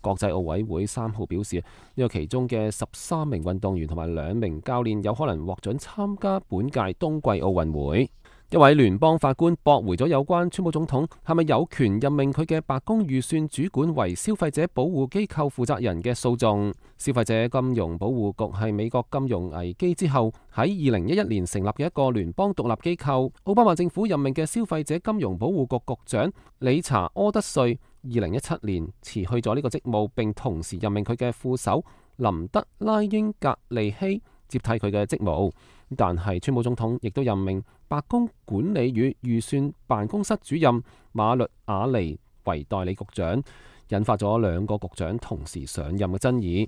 國際奧委會3號表示，呢個其中嘅13名運動員同埋2名教練有可能獲准參加本屆冬季奧運會。一位聯邦法官駁回咗有關川普總統係咪有權任命佢嘅白宮預算主管為消費者保護機構負責人嘅訴訟。消費者金融保護局係美國金融危機之後喺2011年成立嘅一個聯邦獨立機構。奧巴馬政府任命嘅消費者金融保護局局長理查柯德瑞2017年辭去咗呢個職務，並同時任命佢嘅副手林德拉英格利希接替佢嘅職務。但係川普總統亦都任命白宮管理與預算辦公室主任馬律亞尼為代理局長，引發咗2個局長同時上任嘅爭議。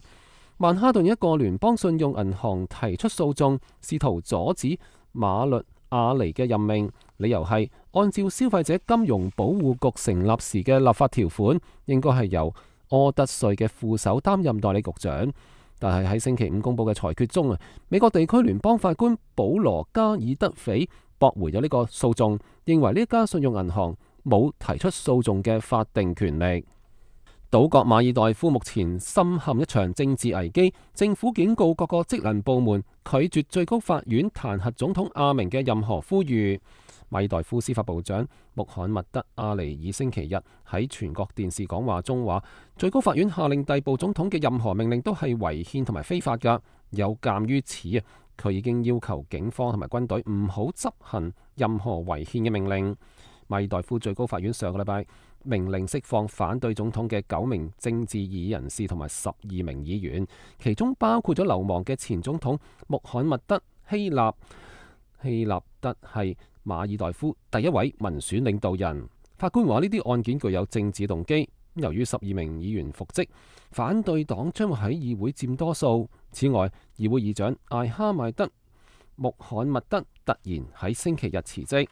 曼哈頓一個聯邦信用銀行提出訴訟，試圖阻止馬律亞尼嘅任命，理由係按照消費者金融保護局成立時嘅立法條款，應該係由柯德瑞嘅副手擔任代理局長。但係喺星期5公佈嘅裁決中美國地區聯邦法官保羅加爾德斐駁回咗呢個訴訟，認為呢家信用銀行冇提出訴訟嘅法定權力。島國馬爾代夫目前深陷一場政治危機，政府警告各個職能部門拒絕最高法院彈劾總統阿明嘅任何呼籲。馬爾代夫司法部長穆罕默德阿尼爾星期日喺全國電視講話中話，最高法院下令逮捕總統嘅任何命令都係違憲同埋非法㗎。有鑑於此佢已經要求警方同埋軍隊唔好執行任何違憲嘅命令。馬爾代夫最高法院上個禮拜命令釋放反對總統嘅9名政治異議人士同埋12名議員，其中包括咗流亡嘅前總統穆罕默德希納。希納德係馬爾代夫第一位民選領導人。法官話呢啲案件具有政治動機。由於12名議員復職，反對黨將會喺議會佔多數。此外，議會議長艾哈邁德穆罕默德突然喺星期日辭職。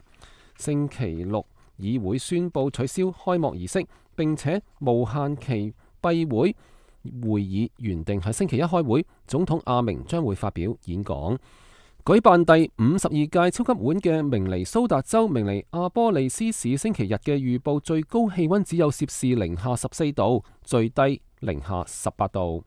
星期六議會宣布取消開幕儀式，並且無限期閉會。會議原定喺星期一開會，總統阿明將會發表演講。舉辦第52屆超級碗嘅明尼蘇達州明尼阿波利斯市星期日嘅預報最高氣溫只有攝氏零下14度，最低零下18度。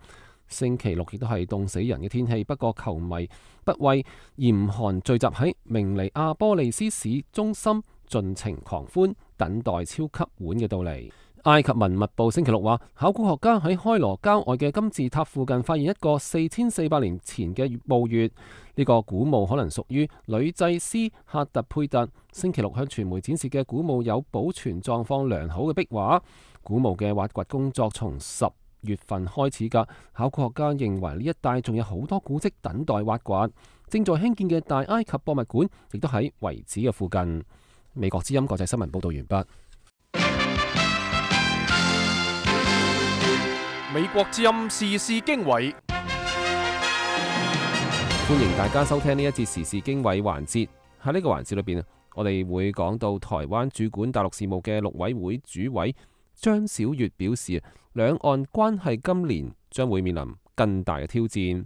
星期六亦都係凍死人嘅天氣，不過球迷不畏嚴寒聚集喺明尼阿波利斯市中心，盡情狂歡，等待超級碗嘅到嚟。埃及文物部星期六話，考古學家喺開羅郊外嘅金字塔附近發現一個4400年前嘅墓穴，呢個古墓可能屬於女祭司赫特佩特。星期六向傳媒展示嘅古墓有保存狀況良好嘅壁畫。古墓嘅挖掘工作從10月份開始㗎，考古學家認為呢一帶仲有好多古蹟等待挖掘。正在興建嘅大埃及博物館亦都喺遺址嘅附近。美國之音國際新聞報道完畢。美國之音時事經緯，歡迎大家收聽呢一節時事經緯環節。喺呢個環節裏邊，我哋會講到台灣主管大陸事務嘅陸委會主委張曉月表示，兩岸關係今年將會面臨更大嘅挑戰。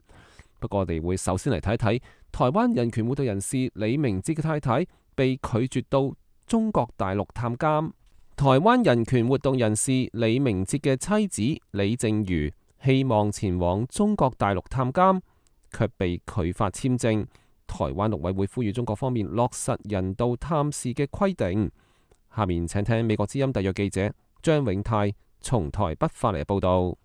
不過我哋會首先嚟睇睇台灣人權活動人士李明哲嘅太太被拒絕到中國大陸探監。台灣人權活動人士李明哲嘅妻子李淨瑜希望前往中國大陸探監，卻被拒發簽證。台灣陸委會呼籲中國方面落實人道探視嘅規定。下面請聽美國之音特約記者張永泰從台北發嚟嘅報道。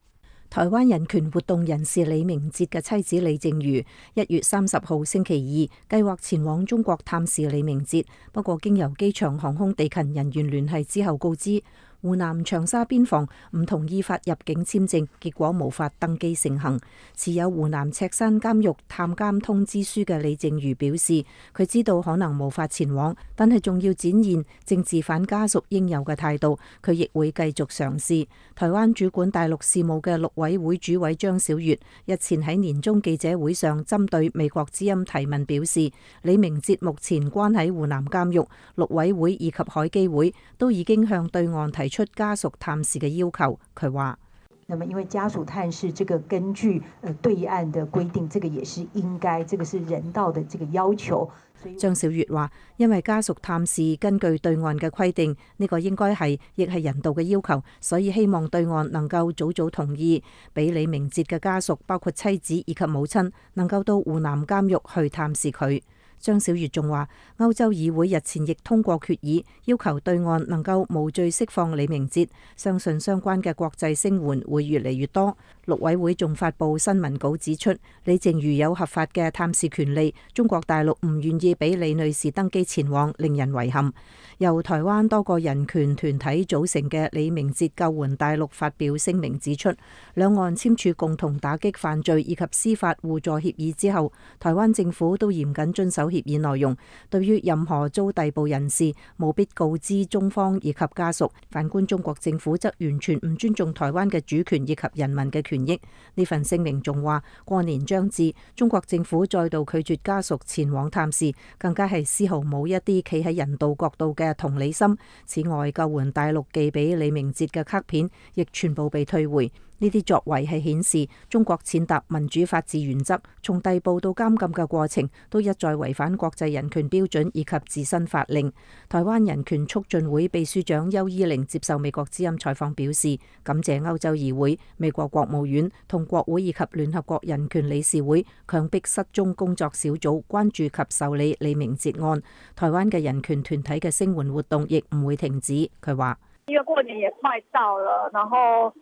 台灣人權活動人士李明哲嘅妻子李淨瑜1月30號星期二計劃前往中國探視李明哲，不過經由機場航空地勤人員聯繫之後告知，湖南長沙邊防唔同意發入境簽證，結果無法登機成行。持有湖南赤山監獄探監通知書嘅李淨瑜表示，佢知道可能無法前往，但係仲要展現政治犯家屬應有嘅態度，佢亦會繼續嘗試。台灣主管大陸事務嘅陸委會主委張曉月日前喺年終記者會上針對美國之音提問表示，李明哲目前關喺湖南監獄，陸委會以及海基會都已經向對岸提出家屬探視嘅要求。佢話：那麼因為家屬探視，這個根據對岸的規定，這個也是應該，這個是人道的這個要求。張曉月話：因為家屬探視根據對岸嘅規定，呢個應該係亦係人道嘅要求，所以希望對岸能夠早早同意，俾李明哲嘅家屬，包括妻子以及母親，能夠到湖南監獄去探視佢。張曉月仲話，歐洲議會日前亦通過決議，要求對岸能夠無罪釋放李明哲，相信相關嘅國際聲援會越嚟越多。陸委會仲發布新聞稿指出，李淨瑜有合法嘅探視權利，中國大陸唔願意俾李女士登機前往，令人遺憾。由台灣多個人權團體組成嘅李明哲救援大陸發表聲明指出，兩岸簽署共同打擊犯罪以及司法互助協議之後，台灣政府都嚴謹遵守協議內容，對於任何遭逮捕人士，務必告知中方以及家屬。反觀中國政府則完全唔尊重台灣嘅主權以及人民嘅權益。呢份聲明仲話，過年將至，中國政府再度拒絕家屬前往探視，更加係絲毫冇一啲企喺人道角度嘅同理心。此外，救援大陸寄俾李明哲嘅卡片亦全部被退回。呢啲作為係顯示中國踐踏民主法治原則，從逮捕到監禁嘅過程都一再違反國際人權標準以及自身法令。台灣人權促進會秘書長邱依玲接受美國之音採訪表示，感謝歐洲議會、美國國務院同國會以及聯合國人權理事會強迫失蹤工作小組關注及受理李明哲案。台灣嘅人權團體嘅聲援活動亦唔會停止。佢話：因為過年也快到了，然後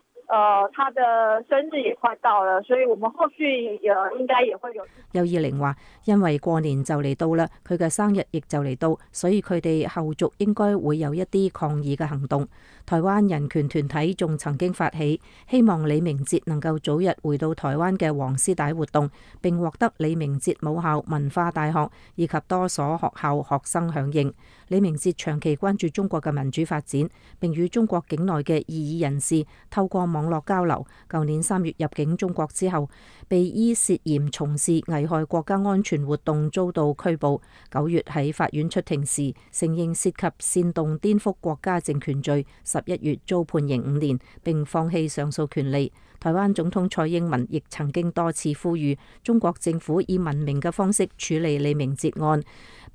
他的生日也快到了，所以我們後續應該也會有。邱依玲話：因為過年就嚟到啦，佢嘅生日亦就嚟到，所以佢哋後續應該會有一啲抗議嘅行動。台灣人權團體仲曾經發起希望李明哲能夠早日回到台灣嘅黃絲帶活動，並獲得李明哲母校文化大學以及多所學校學生響應。李明哲長期關注中國嘅民主發展，並與中國境內嘅異議人士透過網絡交流。舊年3月入境中國之後，被依涉嫌從事危害國家安全活動遭到拘捕。9月喺法院出庭時，承認涉及煽動顛覆國家政權罪。11月遭判刑5年，並放棄上訴權利。台灣總統蔡英文亦曾經多次呼籲中國政府以文明嘅方式處理李明哲案，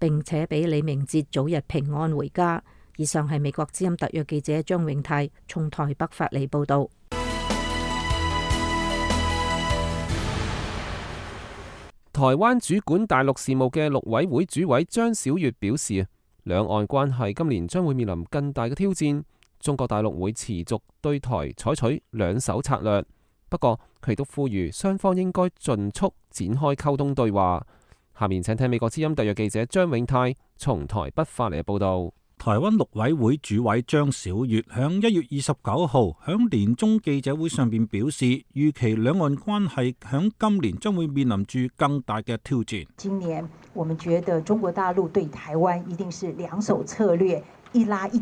並且俾李明哲早日平安回家。以上係美國之音特約記者張永泰從台北發嚟報道。台灣主管大陸事務嘅陸委會主委張曉月表示，兩岸關係今年將會面臨更大嘅挑戰。中國大陸會持續對台採取兩手策略，不過佢亦都呼籲雙方應該盡速展開溝通對話。下面請聽美國之音特約記者張永泰從台北發嚟嘅報道。台灣陸委會主委張曉月響1月29號響年中記者會上邊表示，預期兩岸關係響今年將會面臨住更大嘅挑戰。今年我們覺得中國大陸對台灣一定是兩手策略。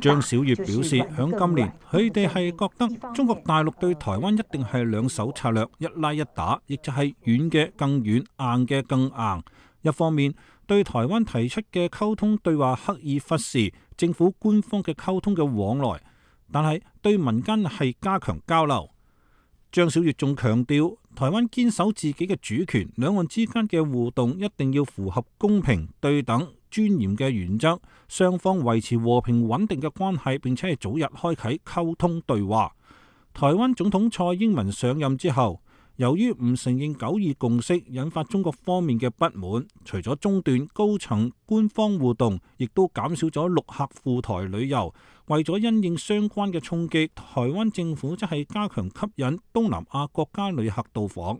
張曉月表示，響今年佢哋係覺得中國大陸對台灣一定係兩手策略，一拉一打，亦就係軟嘅更軟，硬嘅更硬。一方面對台灣提出嘅溝通對話刻意忽視政府官方嘅溝通嘅往來，但係對民間係加強交流。張曉月仲強調，台灣堅守自己嘅主權，兩岸之間嘅互動一定要符合公平、對等、尊嚴嘅原則，雙方維持和平穩定嘅關係，並且係早日開啟溝通對話。台灣總統蔡英文上任之後，由於唔承認9·2共識，引發中國方面嘅不滿，除咗中斷高層官方互動，亦都減少咗陸客赴台旅遊。為咗因應相關嘅衝擊，台灣政府則係加強吸引東南亞國家旅客到訪。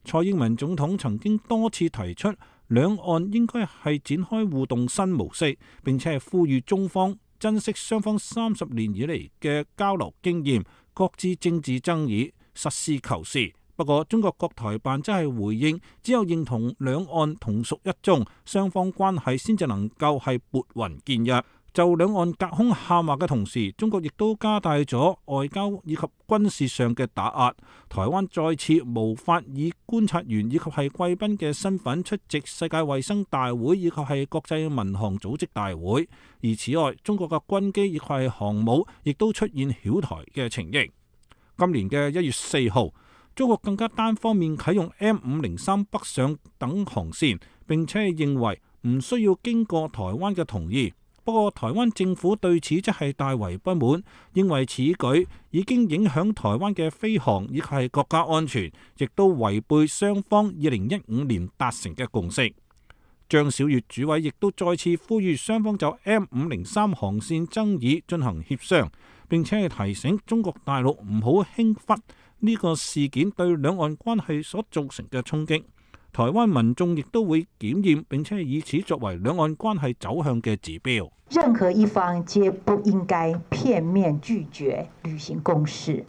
蔡英文總統曾經多次提出，兩岸應該係展開互動新模式，並且係呼籲中方珍惜雙方30年以嚟嘅交流經驗，擱置政治爭議，實事求是。不過，中國國台辦則係回應，只有認同兩岸同屬一中，雙方關係先至能夠係撥雲見日。就兩岸隔空喊話嘅同時，中國亦都加大咗外交以及軍事上嘅打壓。台灣再次無法以觀察員以及係貴賓嘅身份出席世界衛生大會以及係國際民航組織大會。而此外，中國嘅軍機以及係航母亦都出現擾台嘅情形。今年嘅1月4號，中國更加單方面啟用 M503 北上等航線，並且係認為唔需要經過台灣嘅同意。不過，台灣政府對此則係大為不滿，認為此舉已經影響台灣嘅飛航以及係國家安全，亦都違背雙方2015年達成嘅共識。張曉月主委亦都再次呼籲雙方就 M503 航線爭議進行協商，並且係提醒中國大陸唔好輕忽呢個事件對兩岸關係所造成嘅衝擊。台灣民眾亦都會檢驗，並且以此作為兩岸關係走向嘅指標。任何一方皆不應該片面拒絕履行共識，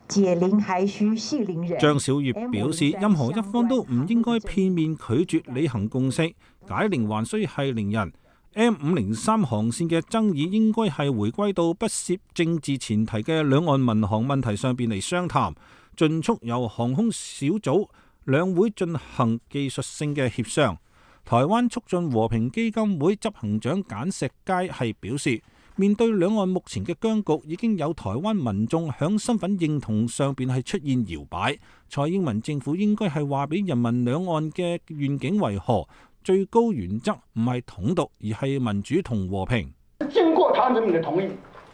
解鈴還須繫鈴人。張曉月表示，任何一方都唔應該片面拒絕履行共識，解鈴還須繫鈴人。M503 航線嘅爭議應該係回歸到不涉政治前提嘅兩岸民航問題上邊嚟商談，盡速由航空小組兩會進行技術性嘅協商。台灣促進和平基金會執行長簡石佳係表示，面對兩岸目前嘅僵局，已經有台灣民眾響身份認同上邊係出現搖擺。蔡英文政府應該係話俾人民兩岸嘅願景為何，最高原則唔係統獨，而係民主同和平。經過台灣人民嘅同意，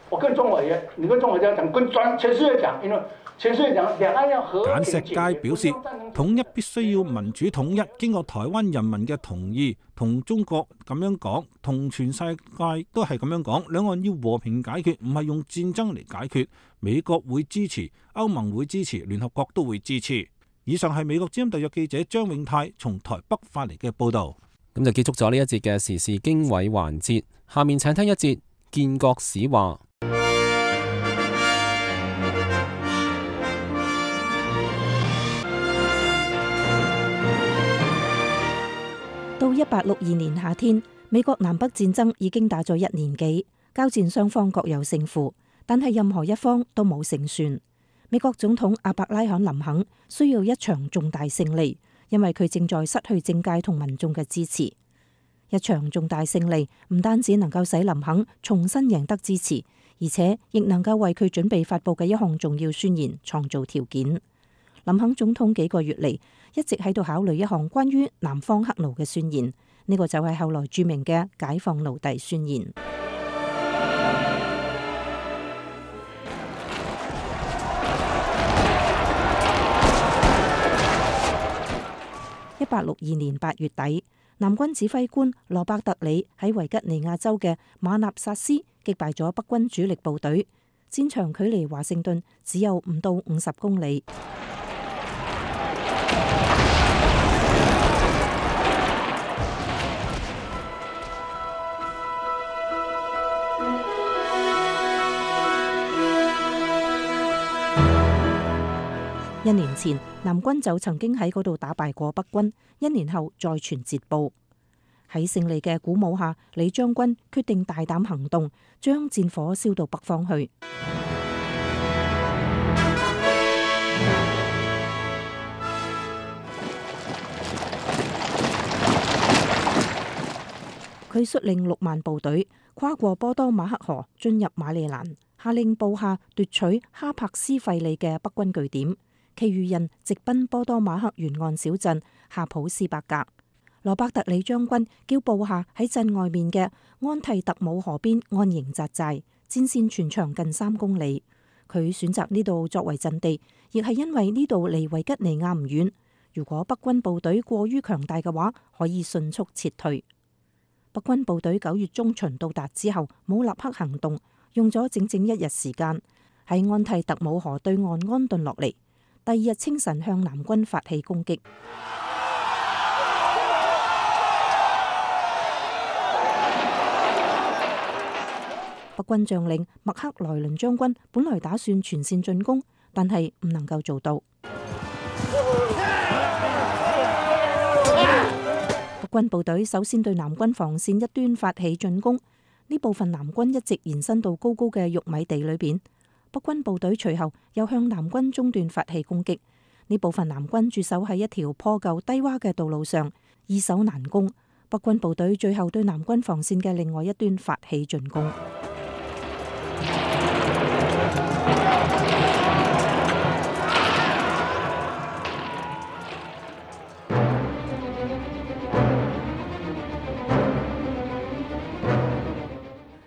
我跟中委員，你跟中委員講，跟全世界講，因為全世界講兩岸要和平。簡石佳表示，統一必須要民主統一，經過台灣人民嘅同意，同中國咁樣講，同全世界都係咁樣講，兩岸要和平解決，唔係用戰爭嚟解決。美國會支持，歐盟會支持，聯合國都會支持。以上係美國之音特約記者張永泰從台北發嚟嘅報導。咁就結束咗呢一節嘅時事經緯環節，下面請聽一節建國史話。到1862年夏天，美國南北戰爭已經打咗1年幾，交戰雙方各有勝負，但係任何一方都冇勝算。美國總統阿伯拉罕林肯需要一場重大勝利，因為佢正在失去政界同民眾嘅支持。一場重大勝利唔單止能夠使林肯重新贏得支持，而且亦能夠為佢準備發佈嘅一項重要宣言創造條件。林肯總統幾個月嚟一直喺度考慮一項關於南方黑奴嘅宣言，呢個就係後來著名嘅解放奴隸宣言。1862年8月底，南軍指揮官羅伯特里喺維吉尼亞州嘅馬納薩斯擊敗咗北軍主力部隊，戰場距離華盛頓只有5到50公里。1年前，南軍就曾經喺嗰度打敗過北軍，1年後再傳捷報。喺勝利嘅鼓舞下，李將軍決定大膽行動，將戰火燒到北方去。佢率領6萬部隊跨過波多馬克河，進入馬里蘭，下令部下奪取哈柏斯費里嘅北軍據點。其餘人直奔波多馬克沿岸小鎮夏普斯伯格。羅伯特里將軍叫部下喺鎮外面嘅安蒂特姆河邊安營紮寨，戰線全長近3公里。佢選擇呢度作為陣地，亦係因為呢度離維吉尼亞唔遠。如果北軍部隊過於強大嘅話，可以迅速撤退。北軍部隊9月中旬到達之後，冇立刻行動，用咗整整1日時間喺安蒂特姆河對岸安頓落嚟。第2日清晨向南軍發起攻擊。北軍將領麥克萊倫將軍本來打算全線進攻，但係唔能夠做到。北軍部隊首先對南軍防線一端發起進攻，呢部分南軍一直延伸到高高嘅玉米地裏邊。北軍部隊隨後又向南軍中段發起攻擊，呢部分南軍駐守喺一條破舊低洼嘅道路上，易守難攻。北軍部隊最後對南軍防線嘅另外一端發起進攻。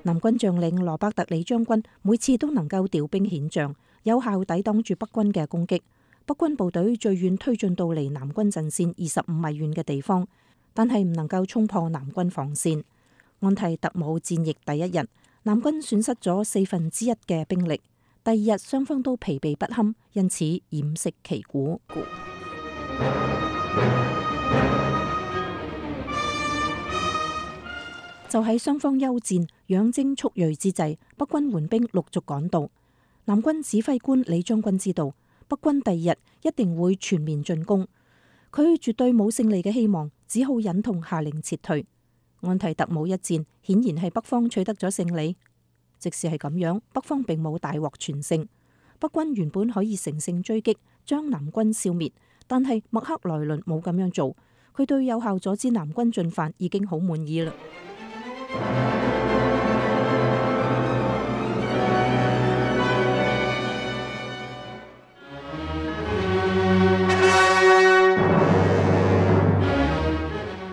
南軍將領羅伯特里將軍每次都能夠調兵遣將，有效抵擋住北軍嘅攻擊。北軍部隊最遠推進到離南軍陣線25米遠嘅地方，但係唔能夠衝破南軍防線。安蒂特姆戰役第1日，南軍損失咗1/4嘅兵力。第2日雙方都疲憊不堪，因此偃旗旗鼓。就喺雙方休戰、養精蓄銳之際，北軍援兵陸續趕到。南軍指揮官李將軍知道北軍第2日一定會全面進攻，佢絕對冇勝利嘅希望，只好忍痛下令撤退。安提特姆一戰顯然係北方取得咗勝利，即使係咁樣，北方並冇大獲全勝。北軍原本可以乘勝追擊，將南軍消滅，但係麥克萊倫冇咁樣做，佢對有效阻止南軍進犯已經好滿意啦。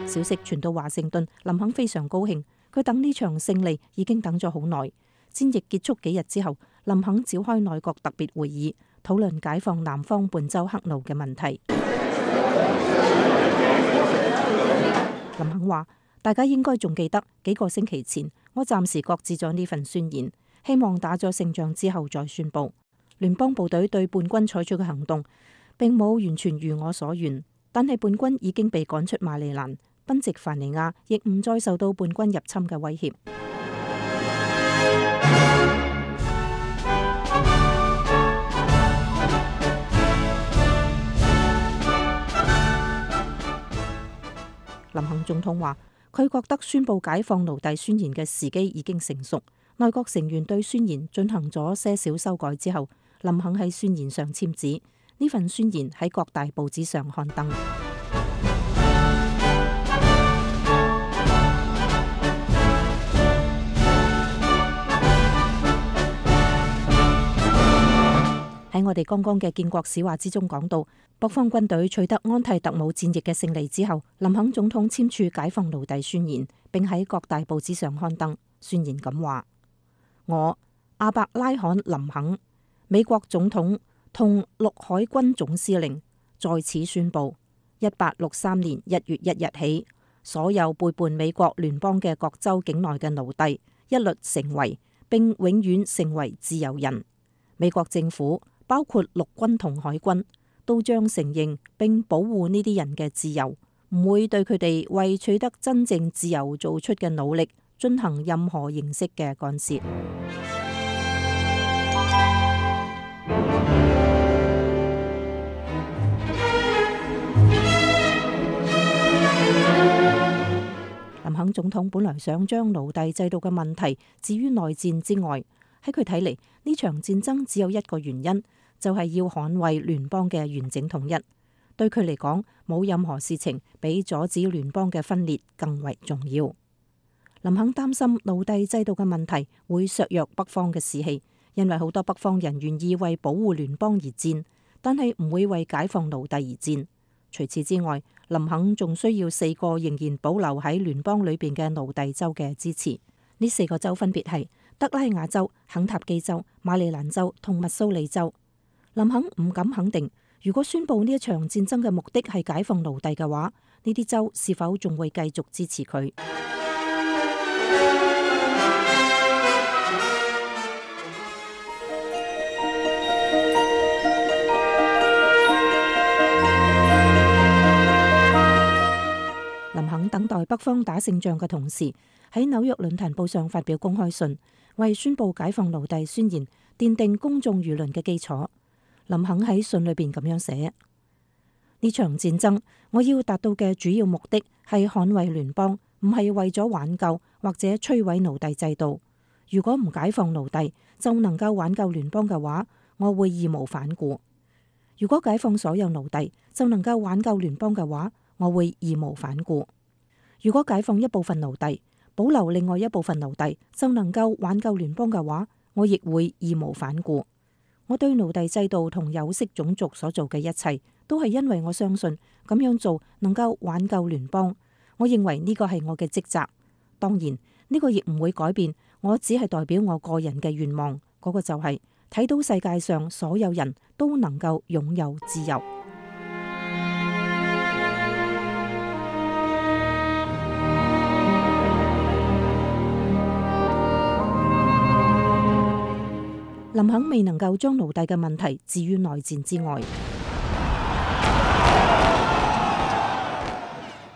消息傳到華盛頓，林肯非常高興，佢等呢場勝利已經等咗好耐。戰役結束幾日之後，林肯召開內閣特別會議，討論解放南方半州黑奴嘅問題。林肯話：大家應該仲記得幾個星期前，我暫時擱置咗呢份宣言，希望打咗勝仗之後再宣佈。聯邦部隊對叛軍採取嘅行動並冇完全如我所願，但係叛軍已經被趕出馬里蘭，賓夕凡尼亞亦唔再受到叛軍入侵嘅威脅。林肯總統話：佢覺得宣佈解放奴隸宣言嘅時機已經成熟。內閣成員對宣言進行咗些少修改之後，林肯喺宣言上簽字。呢份宣言喺各大報紙上刊登。喺我哋剛剛嘅建國史話之中講到，北方軍隊取得安提特姆戰役嘅勝利之後，林肯總統簽署解放奴隸宣言，並喺各大報紙上刊登。宣言咁話：我亞伯拉罕林肯，美國總統同陸海軍總司令，在此宣布，1863年1月1日起，所有背叛美國聯邦嘅各州境內嘅奴隸一律成為並永遠成為自由人。美國政府包括陸軍同海軍都將承認並保護呢啲人嘅自由，唔會對佢哋為取得真正自由做出嘅努力進行任何形式嘅干涉。林肯總統本來想將奴隸制度嘅問題置於內戰之外，喺佢睇嚟，呢場戰爭只有一個原因，就係要捍衛聯邦嘅完整統一。對佢嚟講，冇任何事情比阻止聯邦嘅分裂更為重要。林肯擔心奴隸制度嘅問題會削弱北方嘅士氣，因為好多北方人願意為保護聯邦而戰，但係唔會為解放奴隸而戰。除此之外，林肯仲需要4個仍然保留喺聯邦裏邊嘅奴隸州嘅支持。呢4個州分別係德拉瓦州、肯塔基州、馬里蘭州同密蘇里州。林肯唔敢肯定，如果宣布呢一場戰爭嘅目的係解放奴隸嘅話，呢啲州是否仲會繼續支持佢？林肯等待北方打勝仗嘅同時，喺紐約論壇報上發表公開信，為宣布解放奴隸宣言奠定公眾輿論嘅基礎。林肯喺信裏邊咁樣寫：呢場戰爭我要達到嘅主要目的係捍衛聯邦，唔係為咗挽救或者摧毀奴隸制度。如果唔解放奴隸就能夠挽救聯邦嘅話，我會義無反顧；如果解放所有奴隸就能夠挽救聯邦嘅話，我會義無反顧；如果解放一部分奴隸，保留另外一部分奴隸就能夠挽救聯邦嘅話，我亦會義無反顧。我對奴隸制度同有色種族所做嘅一切，都係因為我相信咁樣做能夠挽救聯邦。我認為呢個係我嘅職責。當然，呢個亦唔會改變，我只係代表我個人嘅願望，嗰個就係睇到世界上所有人都能夠擁有自由。林肯未能夠將奴隸嘅問題置於內戰之外。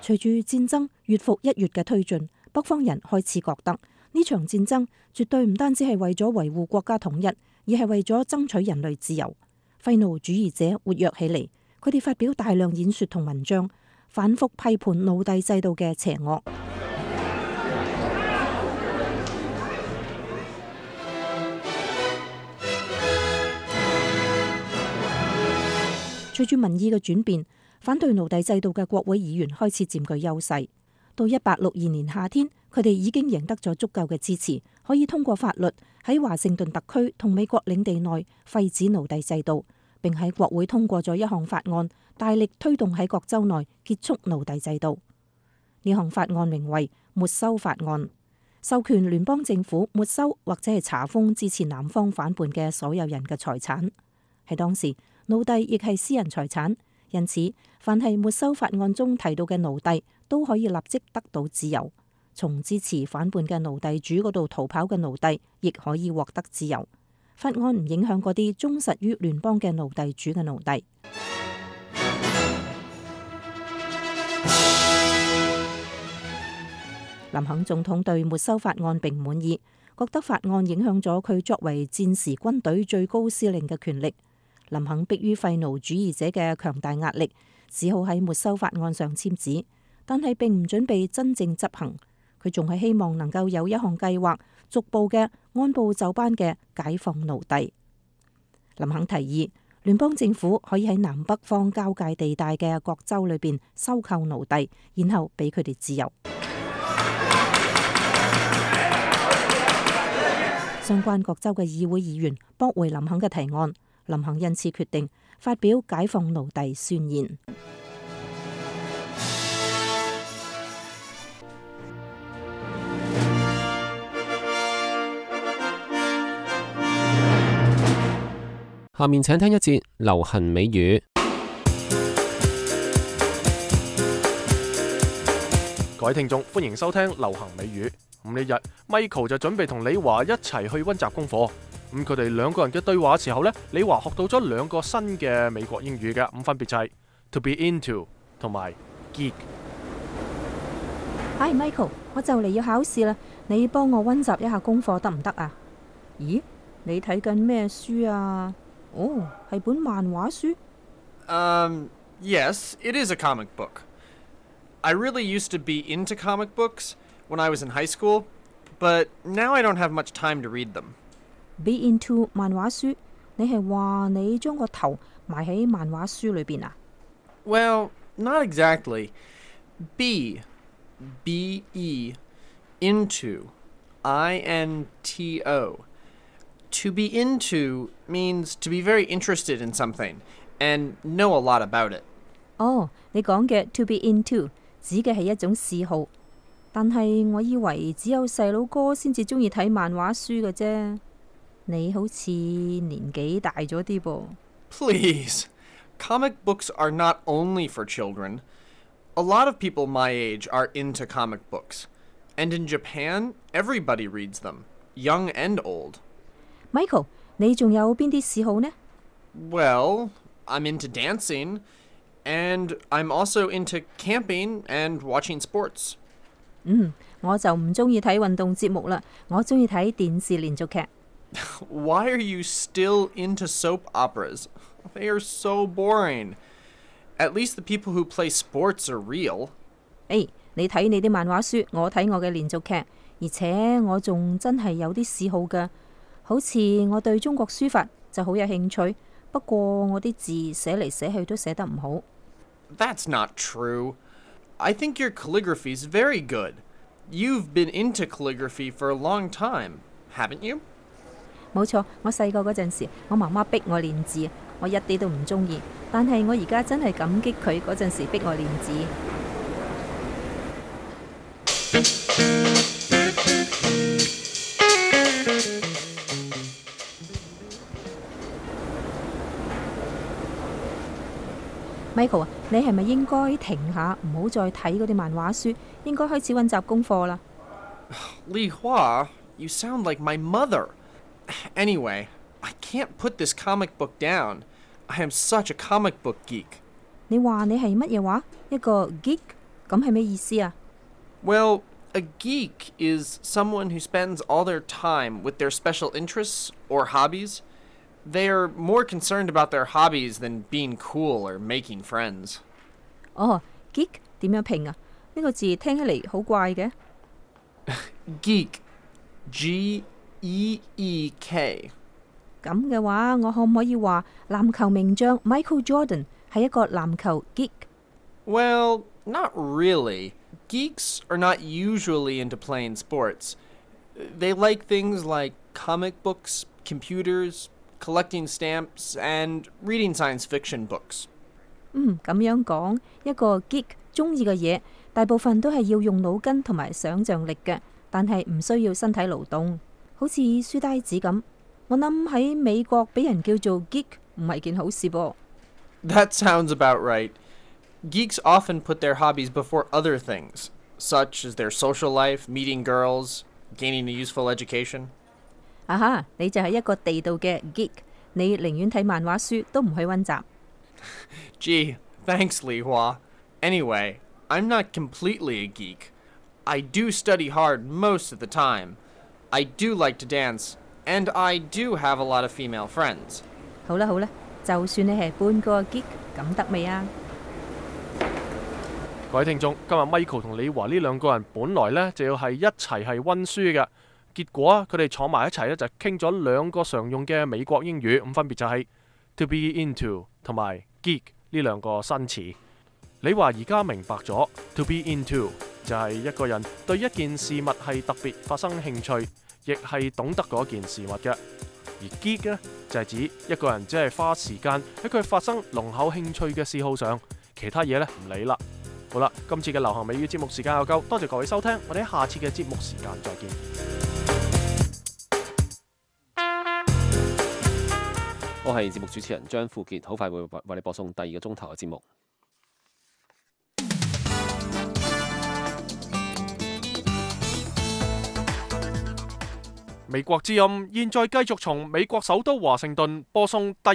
隨住戰爭越復一越嘅推進，北方人開始覺得呢場戰爭絕對唔單止係為咗維護國家統一，而係為咗爭取人類自由。廢奴主義者活躍起嚟，佢哋發表大量演說同文章，反覆批判奴隸制度嘅邪惡。隨住民意嘅轉變，反對奴隸制度嘅國會議員開始佔據優勢。到1862年夏天，佢哋已經贏得咗足夠嘅支持，可以通過法律喺華盛頓特區同美國領地內廢止奴隸制度，並喺國會通過咗一項法案，大力推動喺各州內結束奴隸制度。呢項法案名為沒收法案，授權聯邦政府沒收或者係查封支持南方反叛嘅所有人嘅財產。喺當時，奴隸亦係私人財產，因此凡係沒收法案中提到嘅奴隸都可以立即得到自由。從支持反叛嘅奴隸主嗰度逃跑嘅奴隸亦可以獲得自由。法案唔影響嗰啲忠實於聯邦嘅奴隸主嘅奴隸。林肯總統對沒收法案並唔滿意，覺得法案影響咗佢作為戰時軍隊最高司令嘅權力。林肯迫於廢奴主義者嘅強大壓力，只好喺沒收法案上簽字，但係並唔準備真正執行。佢仲係希望能夠有一項計劃，逐步嘅按部就班嘅解放奴隸。林肯提議，聯邦政府可以喺南北方交界地帶嘅各州裏邊收購奴隸，然後俾佢哋自由。相關各州嘅議會議員駁回林肯嘅提案，林肯因此決定發表解放奴隸宣言。下面請聽一節流行美語。各位聽眾，歡迎收聽流行美語。呢日 Michael 就準備同李華一齊去溫習功課。佢哋兩個人嘅對話時候呢，李華學到咗兩個新嘅美國英語嘅，分別就係 to be into 同埋 geek。Hi Michael，我就嚟要考試啦，你幫我溫習一下功課得唔得啊？咦，你睇緊咩書啊？哦，係本漫畫書。Yes, it is a comic book. I really used to be into comic books when I was in high school, but now I don't have much time to read them. Be into 漫畫書，你係話你將個頭埋喺漫畫書裏邊啊？ Well, not exactly. B-E, into, I-N-T-O. To be into means to be very interested in something and know a lot about it. 哦，你講嘅 to be into 指嘅係一種嗜好，但係我以為只有細佬哥先至中意睇漫畫書嘅啫。你好似年紀大咗啲噃。Please, comic books are not only for children. A lot of people my age are into comic books. And in Japan, everybody reads them, young and old. Michael，你仲有邊啲嗜好呢？ Well, I'm into dancing, and I'm also into camping and watching sports. 我就唔中意睇運動節目啦，我中意睇電視連續劇。Why are you still into soap operas? They are so boring. At least the people who play sports are real. 你睇你啲漫畫書，我睇我嘅連續劇，而且我仲真係有啲嗜好㗎。好似我對中國書法就好有興趣，不過我啲字寫嚟寫去都寫得唔好。That's not true. I think your calligraphy is very good. You've been into calligraphy for a long time, haven't you? 冇錯，我細個嗰陣時，我媽媽逼我練字，我一啲都唔中意。但係我而家真係感激佢嗰陣時逼我練字。Michael 啊，你係咪應該停下，唔好再睇嗰啲漫畫書，應該開始溫習功課啦？ Li Hua, you sound like my mother. Anyway, I can't put this comic book down. I am such a comic book geek. 你話你係乜嘢話？一個 geek？ 咁係咩意思啊？ Well, a geek is someone who spends all their time with their special interests or hobbies. They are more concerned about their hobbies than being cool or making friends. 哦 ，geek 點樣拼啊？呢個字聽起嚟好怪嘅。Geek, G-E-E-K。咁嘅話，我可唔可以話籃球名將 Michael Jordan 係一個籃球 geek？ Well, not really. Geeks are not usually into playing sports. They like things like comic books, computers, collecting stamps, and reading science fiction books. 咁樣講，一個 geek 中意嘅嘢，大部分都係要用腦筋同埋想像力嘅，但係唔需要身體勞動，好似書呆子咁。我諗喺美國俾人叫做 geek 唔係件好事噃。 That sounds about right. Geeks often put their hobbies before other things, such as their social life, meeting girls, gaining a useful education. 啊哈，你就係一個地道嘅 geek， 你寧願睇漫畫書都唔去溫習。Gee, thanks, Li Hua. Anyway, I'm not completely a geek. I do study hard most of the time. I do like to dance, and I do have a lot of female friends. 好啦好啦，就算你係半個 geek， 咁得未啊？各位聽眾，今日 Michael 同李華呢兩個人本來呢就要係一齊係溫書嘅，結果啊，佢哋坐埋一齊咧就傾咗兩個常用嘅美國英語，咁分別就係 to be into 同埋 geek 呢兩個新詞。李華而家明白咗 to be into 就係一個人對一件事物係特別發生興趣，亦係懂得嗰件事物嘅。而 geek 呢，就係指一個人只係花時間喺佢發生濃厚興趣嘅嗜好上，其他嘢呢唔理啦。好啦，今次嘅流行美語節目時間又夠，多謝各位收聽，我哋喺下次嘅節目時間再見。我係節目主持人張富傑，好快會為你播送第二個鐘頭嘅節目。美國之音現在繼續從美國首都華盛頓播送第二